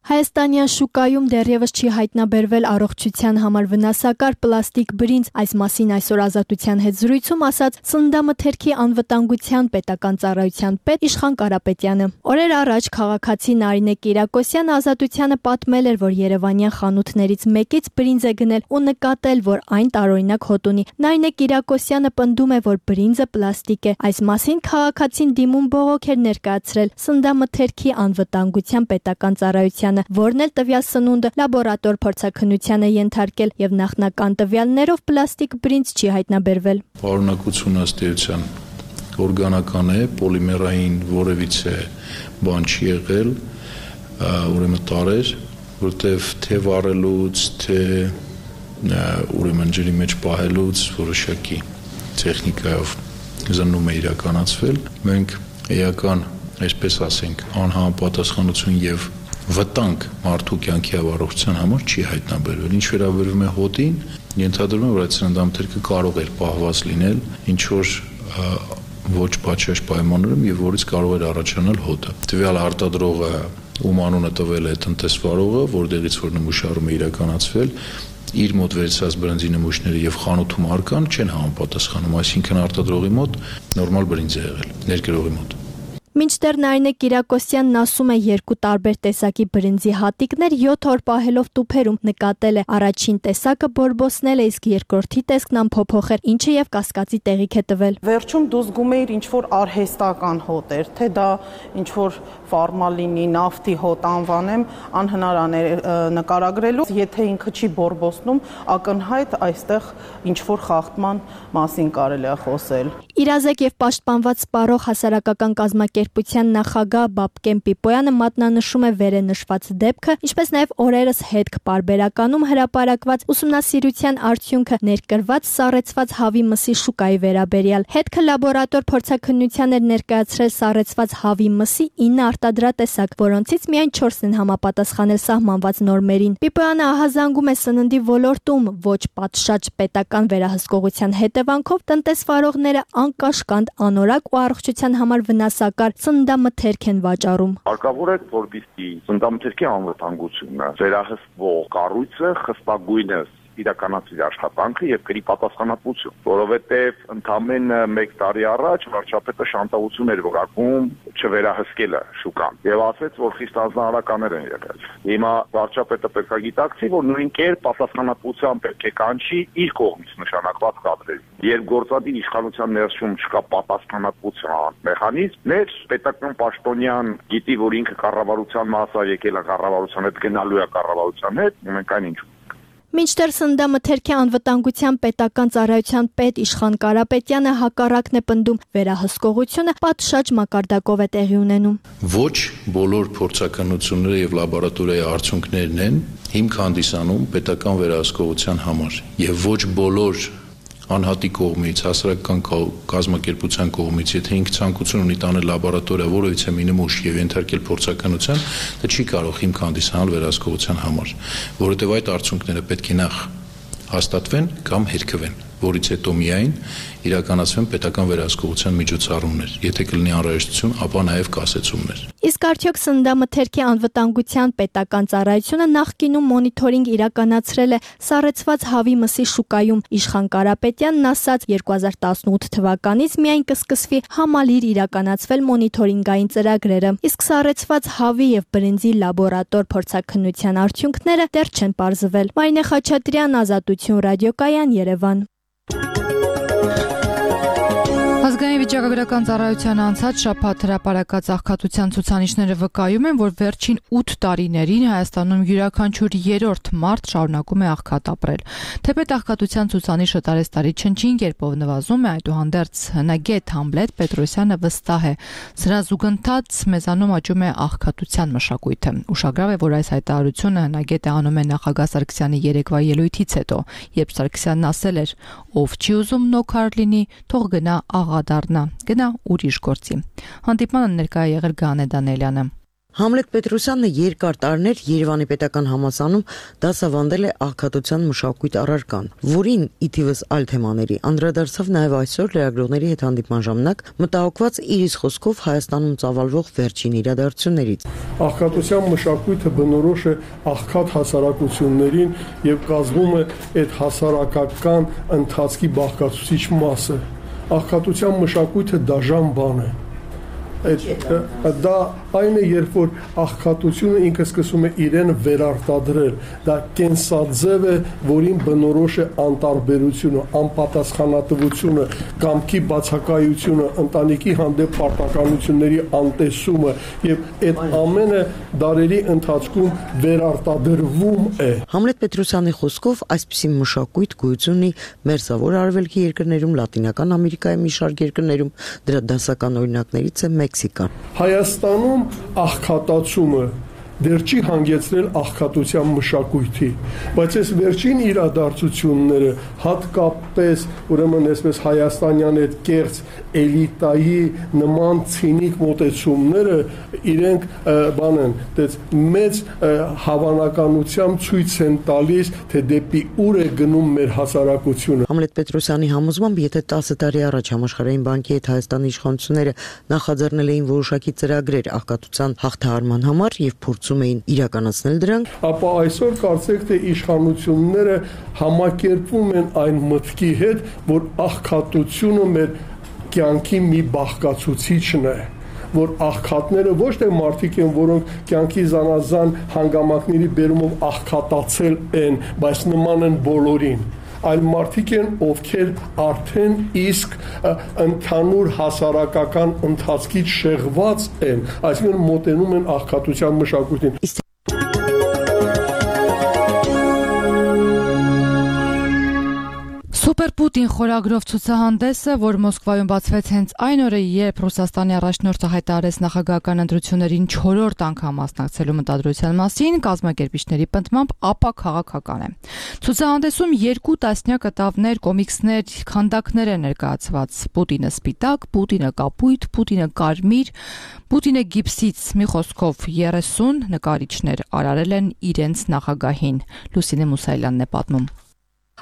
Հայաստանյան շուկայում դեռևս չի հայտնաբերվել առողջության համար վնասակար պլաստիկ բրինձ, այս մասին այսօր Ազատության հետ զրույցում ասաց Սննդամթերքի անվտանգության պետական ծառայության պետ Իշխան Կարապետյանը։ Օրեր առաջ քաղաքացի Նարինե Կիրակոսյանը Ազատությանը պատմել էր, որ երևանյան խանութներից մեկից բրինձ է գնել ու նկատել, որ այն տարօրինակ հոտ ունի։ Նարինե Կիրակոսյանը պնդում է, որ բրինձը պլաստիկ է։ Այս մասին քաղաքացին դիմում բողոք էր ներկայացրել Սննդամթերքի անվտանգության պետական ծառայության, որն էլ տվյալ սնունդը լաբորատոր փորձաքննության է ենթարկել եւ նախնական տվյալներով պլաստիկ բրինձ չի հայտնաբերվել։ Պարունակությունը ըստ էության օրգանական է, պոլիմերային որևիցե բան չի եղել, ուրեմն տարեր, որտեվ թե վառելուց, թե ուրեմն ջրի մեջ պահելուց որոշակի տեխնիկայով զննում է իրականացվել։ Մենք էական, այսպես ասենք, անհամապատասխանություն եւ վտանգ մարդու կյանքի առողջության համար չի հայտնաբերվել։ Ինչ վերաբերում է հոտին, ենթադրում եմ, որ այդ սննդամթերքը կարող էր պահված լինել ինչ որ ոչ պատշաճ պայմաններում եւ որից կարող էր առաջանալ հոտը։ Տվյալ արտադրողը, ում անունը տվել է տնտեսվարողը, որտեղից որ նմուշարումը իրականացվել, իր մոտ վերցած բրինձի նմուշները եւ խանութում արկան չեն համապատասխանում, այսինքն արտադրողի մոտ նորմալ բրինձ է եղել, ներկրողի մոտ։ Մինչդեռ Նարինե Կիրակոսյանն ասում է երկու տարբեր տեսակի բրինձի հատիկներ յոթ օր պահելով տուփերում նկատել է առաջին տեսակը բորբոսնել է, իսկ երկրորդի տեսքն անփոփոխ էր, ինչը եւ կասկածի տեղիք է տվել։ Վերջում դու զգում էիր ինչ որ արհեստական հոտ էր, թե դա ինչ որ ֆորմալինի, նավթի հոտ անվանեմ, անհնարան է նկարագրելու, եթե ինքը չի բորբոսնում, ակնհայտ այստեղ ինչ որ խախտման մասին կարելի է խոսել։ Իրազեկ եւ պաշտպանված սպառող հասարակական կազմակերպության նախագահ Բաբկեն Պիպոյանը մատնանշում է վերը նշված դեպքը, ինչպես նաեւ օրերս հետք պարբերականում հրապարակված ուսումնասիրության արդյունքը ներկրված սառեցված հավի մսի շուկայի վերաբերյալ։ Հետքը լաբորատոր փորձաքննության էր ներկայացրել սառեցված հավի մսի ինը արտադրատեսակ, որոնցից միայն չորսն են համապատասխանել սահմանված նորմերին։ Պիպոյանը ահազանգում է սննդի ոլորտում ոչ պատշաճ պետական վերահսկողության հետևանքով տնտեսվարողները անկաշկանդ, անորակ ու առողջության համար վնասակար սննդամթերք են վաճառում։ Հարկավոր է, որպեսզի սննդամթերքի անվտանգությունը վերահսկվող կառույցը խստագույնս իրականացրի աշխատանքը եւ կրի պատասխանատվություն, որովհետեւ ընդամենը մեկ տարի առաջ վարչապետը շանտավորություն էր որակում չվերահսկելը շուկան եւ ասաց, որ խիստ անձնարարականներ են եղել։ Հիմա վարչապետը պետք է գիտակցի, որ նույն կերպ պատասխանատվության պետք է կանչի իր կողմից նշանակված կադրերի։ Երբ գործադիր իշխանության ներսում չկա պատասխանատվության մեխանիզմներ, պետական պաշտոնյան գիտի, որ ինքը կառավարության մաս է եկել, կառավարության հետ գնալու է կառավարության հետ, մենք այն ինչ Մինչդեռ Սննդամթերքի անվտանգության պետական ծառայության պետ Իշխան Կարապետյանը հակառակն է պնդում, վերահսկողությունը պատշաճ մակարդակով է տեղի ունենում։ Ոչ բոլոր փորձաքննությունները եւ լաբորատորիայի արդյունքներն են հիմք հանդիսանում պետական վերահսկողության համար եւ ոչ բոլոր անհատի կողմից, հասարակական կազմակերպության կողմից, եթե ինքը ցանկություն ունի տանել լաբորատորիա որևիցե մի նմուշ եւ ենթարկել փորձաքննության, դա չի կարող հիմք հանդիսանալ վերահսկողության համար, որովհետեւ այդ արդյունքները պետք է նախ հաստատվեն կամ հերքվեն, որից հետո միայն իրականացվեն պետական վերահսկողության միջոցառումներ, եթե կլինի անհրաժեշտություն, ապա նաև կասեցումներ։ Իսկ արդյոք Սննդամթերքի անվտանգության պետական ծառայությունը նախկինում մոնիթորինգ իրականացրել է սառեցված հավի մսի շուկայում։ Իշխան Կարապետյանն ասաց, երկու հազար տասնութ թվականից միայն կսկսվի համալիր իրականացվել մոնիթորինգային ծրագրերը, իսկ սառեցված հավի եւ բրինձի լաբորատոր փորձաքննության արդյունքները դեռ չեն պարզվել։ Մարինե Խաչատրյան, Ազատություն ռադիոկայան, Երևան։ Ազգային վիճակագրական ծառայության անցած շաբաթ հրապարակած աղքատության ցուցանիշները վկայում են, որ վերջին ութ տարիներին Հայաստանում յուրաքանչյուր երրորդ մարդ շարունակում է աղքատ ապրել։ Թեպետ աղքատության ցուցանիշը տարեստարի չնչին կերպով նվազում է, այդուհանդերձ հնագետ Համլետ Պետրոսյանը վստահ է, սրա զուգընթաց մեզանում աճում է աղքատության մշակույթը։ Ուշագրավ է, որ այս հայտարարությունը հնագետը անում է նախագահ Սարգսյանի երեկվա ելույթից հետո, երբ Սարգսյանն ասել էր. «Ով չի ուզում նոքար լինի, թող գնա աղա դառնա, գնա ուրիշ գործի»։ Հանդիպմանը ներկա է եղել Գանե Դանելյանը։ Համլետ Պետրոսյանը երկար տարիներ Երևանի պետական համալսարանում դասավանդել է աղքատության մշակույթ առարկան, որին ի թիվս այլ թեմաների անդրադարձավ նաև այսօր լրագրողների հետ հանդիպման ժամանակ, մտահոգված իր իսկ խոսքով Հայաստանում ծավալվող վերջին իրադարձություններից։ Աղքատության մշակույթը բնորոշ է աղքատ հասարակություններին եւ կազմում է այդ հասարակական ընթացքի բաղկացուցիչ մասը։ Աղքատության մշակույթը դաժան բան է։ Դա այն է, երբ որ աղքատությունը ինքը սկսում է իրեն վերարտադրել, դա կենսաձև է, որին բնորոշ է անտարբերությունը, անպատասխանատվությունը, կամքի բացակայությունը, ընտանիքի հանդեպ պարտականությունների անտեսումը եւ այդ ամենը դարերի ընթացքում վերարտադրվում է։ Համլետ Պետրոսյանի խոսքով այսպիսի մշակույթ գոյություն ունի Մերձավոր Արևելքի երկրներում, Լատինական Ամերիկայի մի շարք երկրներում, դրա դասական օրինակներից է Մեքսիկան։ Հայաստանում աղքատացումը դեռ չի հանգեցրել աղքատության մշակույթի, բայց այս վերջին իրադարձությունները հատկապես ուրեմն այսպես հայաստանյան այդ կերծ էլիտայի նման ցինիկ մոտեցումները իրենք բան են, դες մեծ հավանականությամբ ցույց են տալիս, թե դեպի ուր է գնում մեր հասարակությունը։ Համլետ Պետրոսյանի համոզմամբ, եթե տասը տարի առաջ Համաշխարհային բանկի հետ Հայաստանի իշխանությունները նախաձեռնել էին որոշակի ծրագրեր աղքատության հաղթահարման համար եւ փորձում էին իրականացնել դրանք, ապա այսօր կարծեք թե իշխանությունները համակերպվում են այն մտքի հետ, որ աղքատությունը մեր կյանքի մի բաղկացուցիչն է, որ աղքատները ոչ թե մարդիկ են, որոնք կյանքի զանազան հանգամանքների բերումով աղքատացել են, բայց նման են բոլորին, այլ մարդիկ են, ովքեր արդեն իսկ ընդհանուր հասարակական ընթացքից շեղված են, այսինքն մոտենում են աղքատության մշակույթին։ Սուպեր Պուտին խորագրով ցուցահանդեսը, որ Մոսկվայում բացվեց հենց այն օրը, երբ Ռուսաստանի առաջնորդը հայտարարեց նախագահական ընտրություններին չորրորդ անգամ մասնակցելու մտադրության մասին, կազմակերպիչների պնդմամբ ապա քաղաքական է։ Ցուցահանդեսում երկու տասնյակ կտավներ, կոմիքսներ, քանդակներ են ներկայացված։ Պուտինը սպիտակ, Պուտինը կապույտ, Պուտինը կարմիր, Պուտինը գիպսից, մի խոսքով երեսուն նկարիչներ արարել են իրենց նախագահին։ Լուսինե Մուսայելյանն է պատմում։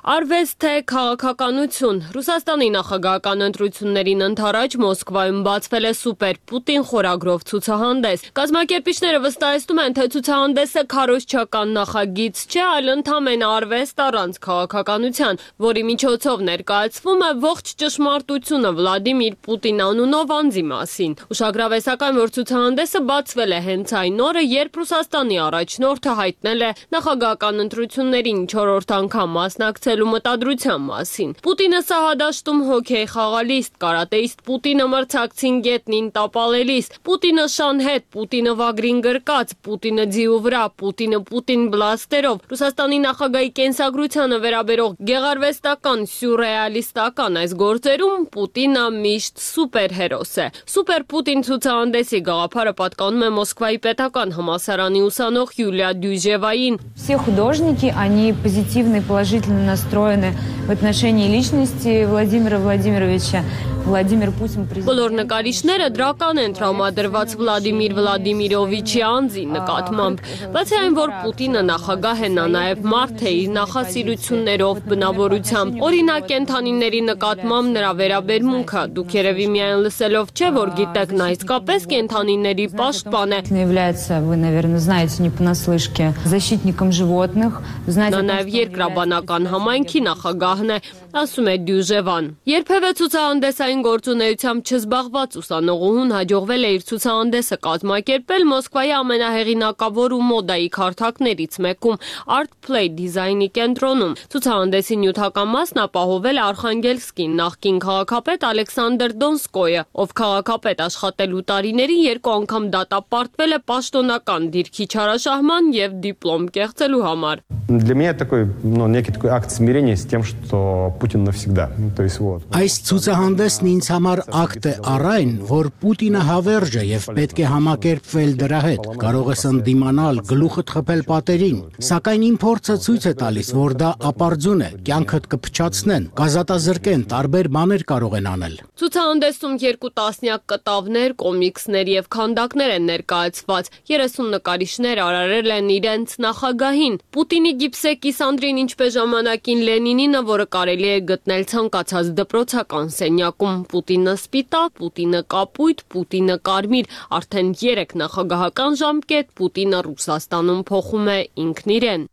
Արվեստ թե քաղաքականություն, Ռուսաստանի նախագահական ընտրություններին ընդառաջ Մոսկվայում բացվել է Սուպեր Պուտին խորագրով ցուցահանդես։ Կազմակերպիչները վստահեցնում են, թե ցուցահանդեսը քարոզչական նախագիծ չէ, այլ ընդամենը արվեստ առանց քաղաքականության, որի միջոցով ներկայացվում է ողջ ճշմարտությունը Վլադիմիր Պուտին անունով անձի մասին։ Ուշագրավ է սակայն, որ ցուցահանդեսը բացվել է հենց այն օրը, երբ Ռուսաստանի առաջնորդը հայտնել է նախագահական ընտրություններին չորրորդ անգամ մասնակցել մտադրության մասին։ Պուտինը սահադաշտում հոքեյ խաղալիստ, կարատեիստ Պուտինը մրցակցին գետնին տապալելիս, Պուտինը շանհետ, Պուտինը վագրին գրկած, Պուտինը ձիու վրա, Պուտինը Պուտին բլաստերով, Ռուսաստանի նախագահի կենսագրությանը վերաբերող գեղարվեստական, սյուրռեալիստական այս գործերում Պուտինը միշտ սուպերհերոս է։ Սուպեր Պուտին ցուցահանդեսի գաղափարը պատկանում է Մոսկվայի պետական համալսարանի ուսանող Յուլիա Դյուժևային։ Все художники, они позитивные, положительно настроены в отношении личности Владимира Владимировича. Վլադիմիր Պուտին президент։ Բոլոր նկարիչները դրական են տրամադրված Վլադիմիր Վլադիմիրովիչի անձի նկատմամբ, բացի այն, որ Պուտինը նախագահ է, նա նաև մարդ է իր նախասիրություններով, բնավորությամբ, օրինակ կենդանիների նկատմամբ նրա վերաբերմունքը, դուք երևի միայն լսելով չէ, որ գիտեք, նա իսկապես կենդանիների պաշտպան է։ Является, вы, наверное, знаете, не понаслышке, защитником животных, знаете։ Նա նաև երկրաբանական համայնքի նախագահն է, ասում է Դյուժևան։ Երբևէ ցուցահանդեսային գործունեությամբ չզբաղված ուսանողուհուն հաջողվել է իր ցուցահանդեսը կազմակերպել Մոսկվայի ամենահեղինակավոր ու մոդայի քարտակներից մեկում Art Play դիզայնի կենտրոնում։ Ցուցահանդեսի նյութական մասն ապահովել է Արխանգելսկի նախկին քաղաքապետ Ալեքսանդր Դոնսկոյը, ով քաղաքապետ աշխատելու տարիներին երկու անգամ դատապարտվել է պաշտոնական դիրքի չարաշահման եւ դիպլոմ կեղծելու համար։ Для меня такой, ну, некий такой акт смирение с тем, что Путин навсегда. То есть вот. Այս ցուցահանդեսն ինձ համար ակտ է առայն, որ Պուտինը հավերժ է եւ պետք է համակերպվել դրա հետ։ Կարող ես ընդդիմանալ, գլուխդ խփել պատերին, սակայն իմ փորձը ցույց է տալիս, որ դա ապարդյուն է, կյանքդ կփչացնեն, կազատազրկեն, տարբեր բաներ կարող են անել։ Ցուցահանդեսում երկու տասնյակ կտավներ, կոմիքսներ եւ քանդակներ են ներկայացված։ երեսուն նկարիչներ արարել են իրենց նախագահին։ Պուտինի գիպսե կիսանդրին, ինչպես ժամանակին Լենինինը, որը կարելի է գտնել ցանկացած դպրոցական սենյակում։ Պուտինը սպիտակ, Պուտինը կապույտ, Պուտինը կարմիր, արդեն երեք նախագահական ժամկետ Պուտինը Ռուսաստանում փոխում է ինքն իրեն։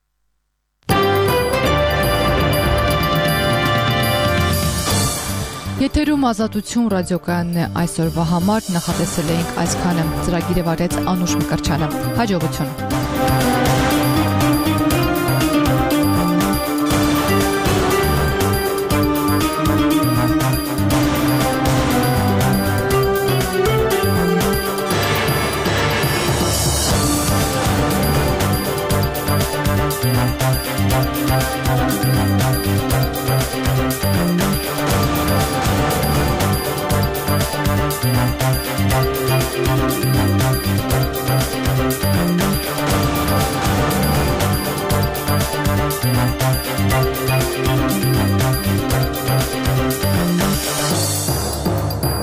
Եթերում Ազատություն ռադիոկայանն է այսօրվա համար, նախատեսել էինք այսքանը։ Ծրագիրը վարեց Անուշ Մկրտչյանը։ Հաջողություն։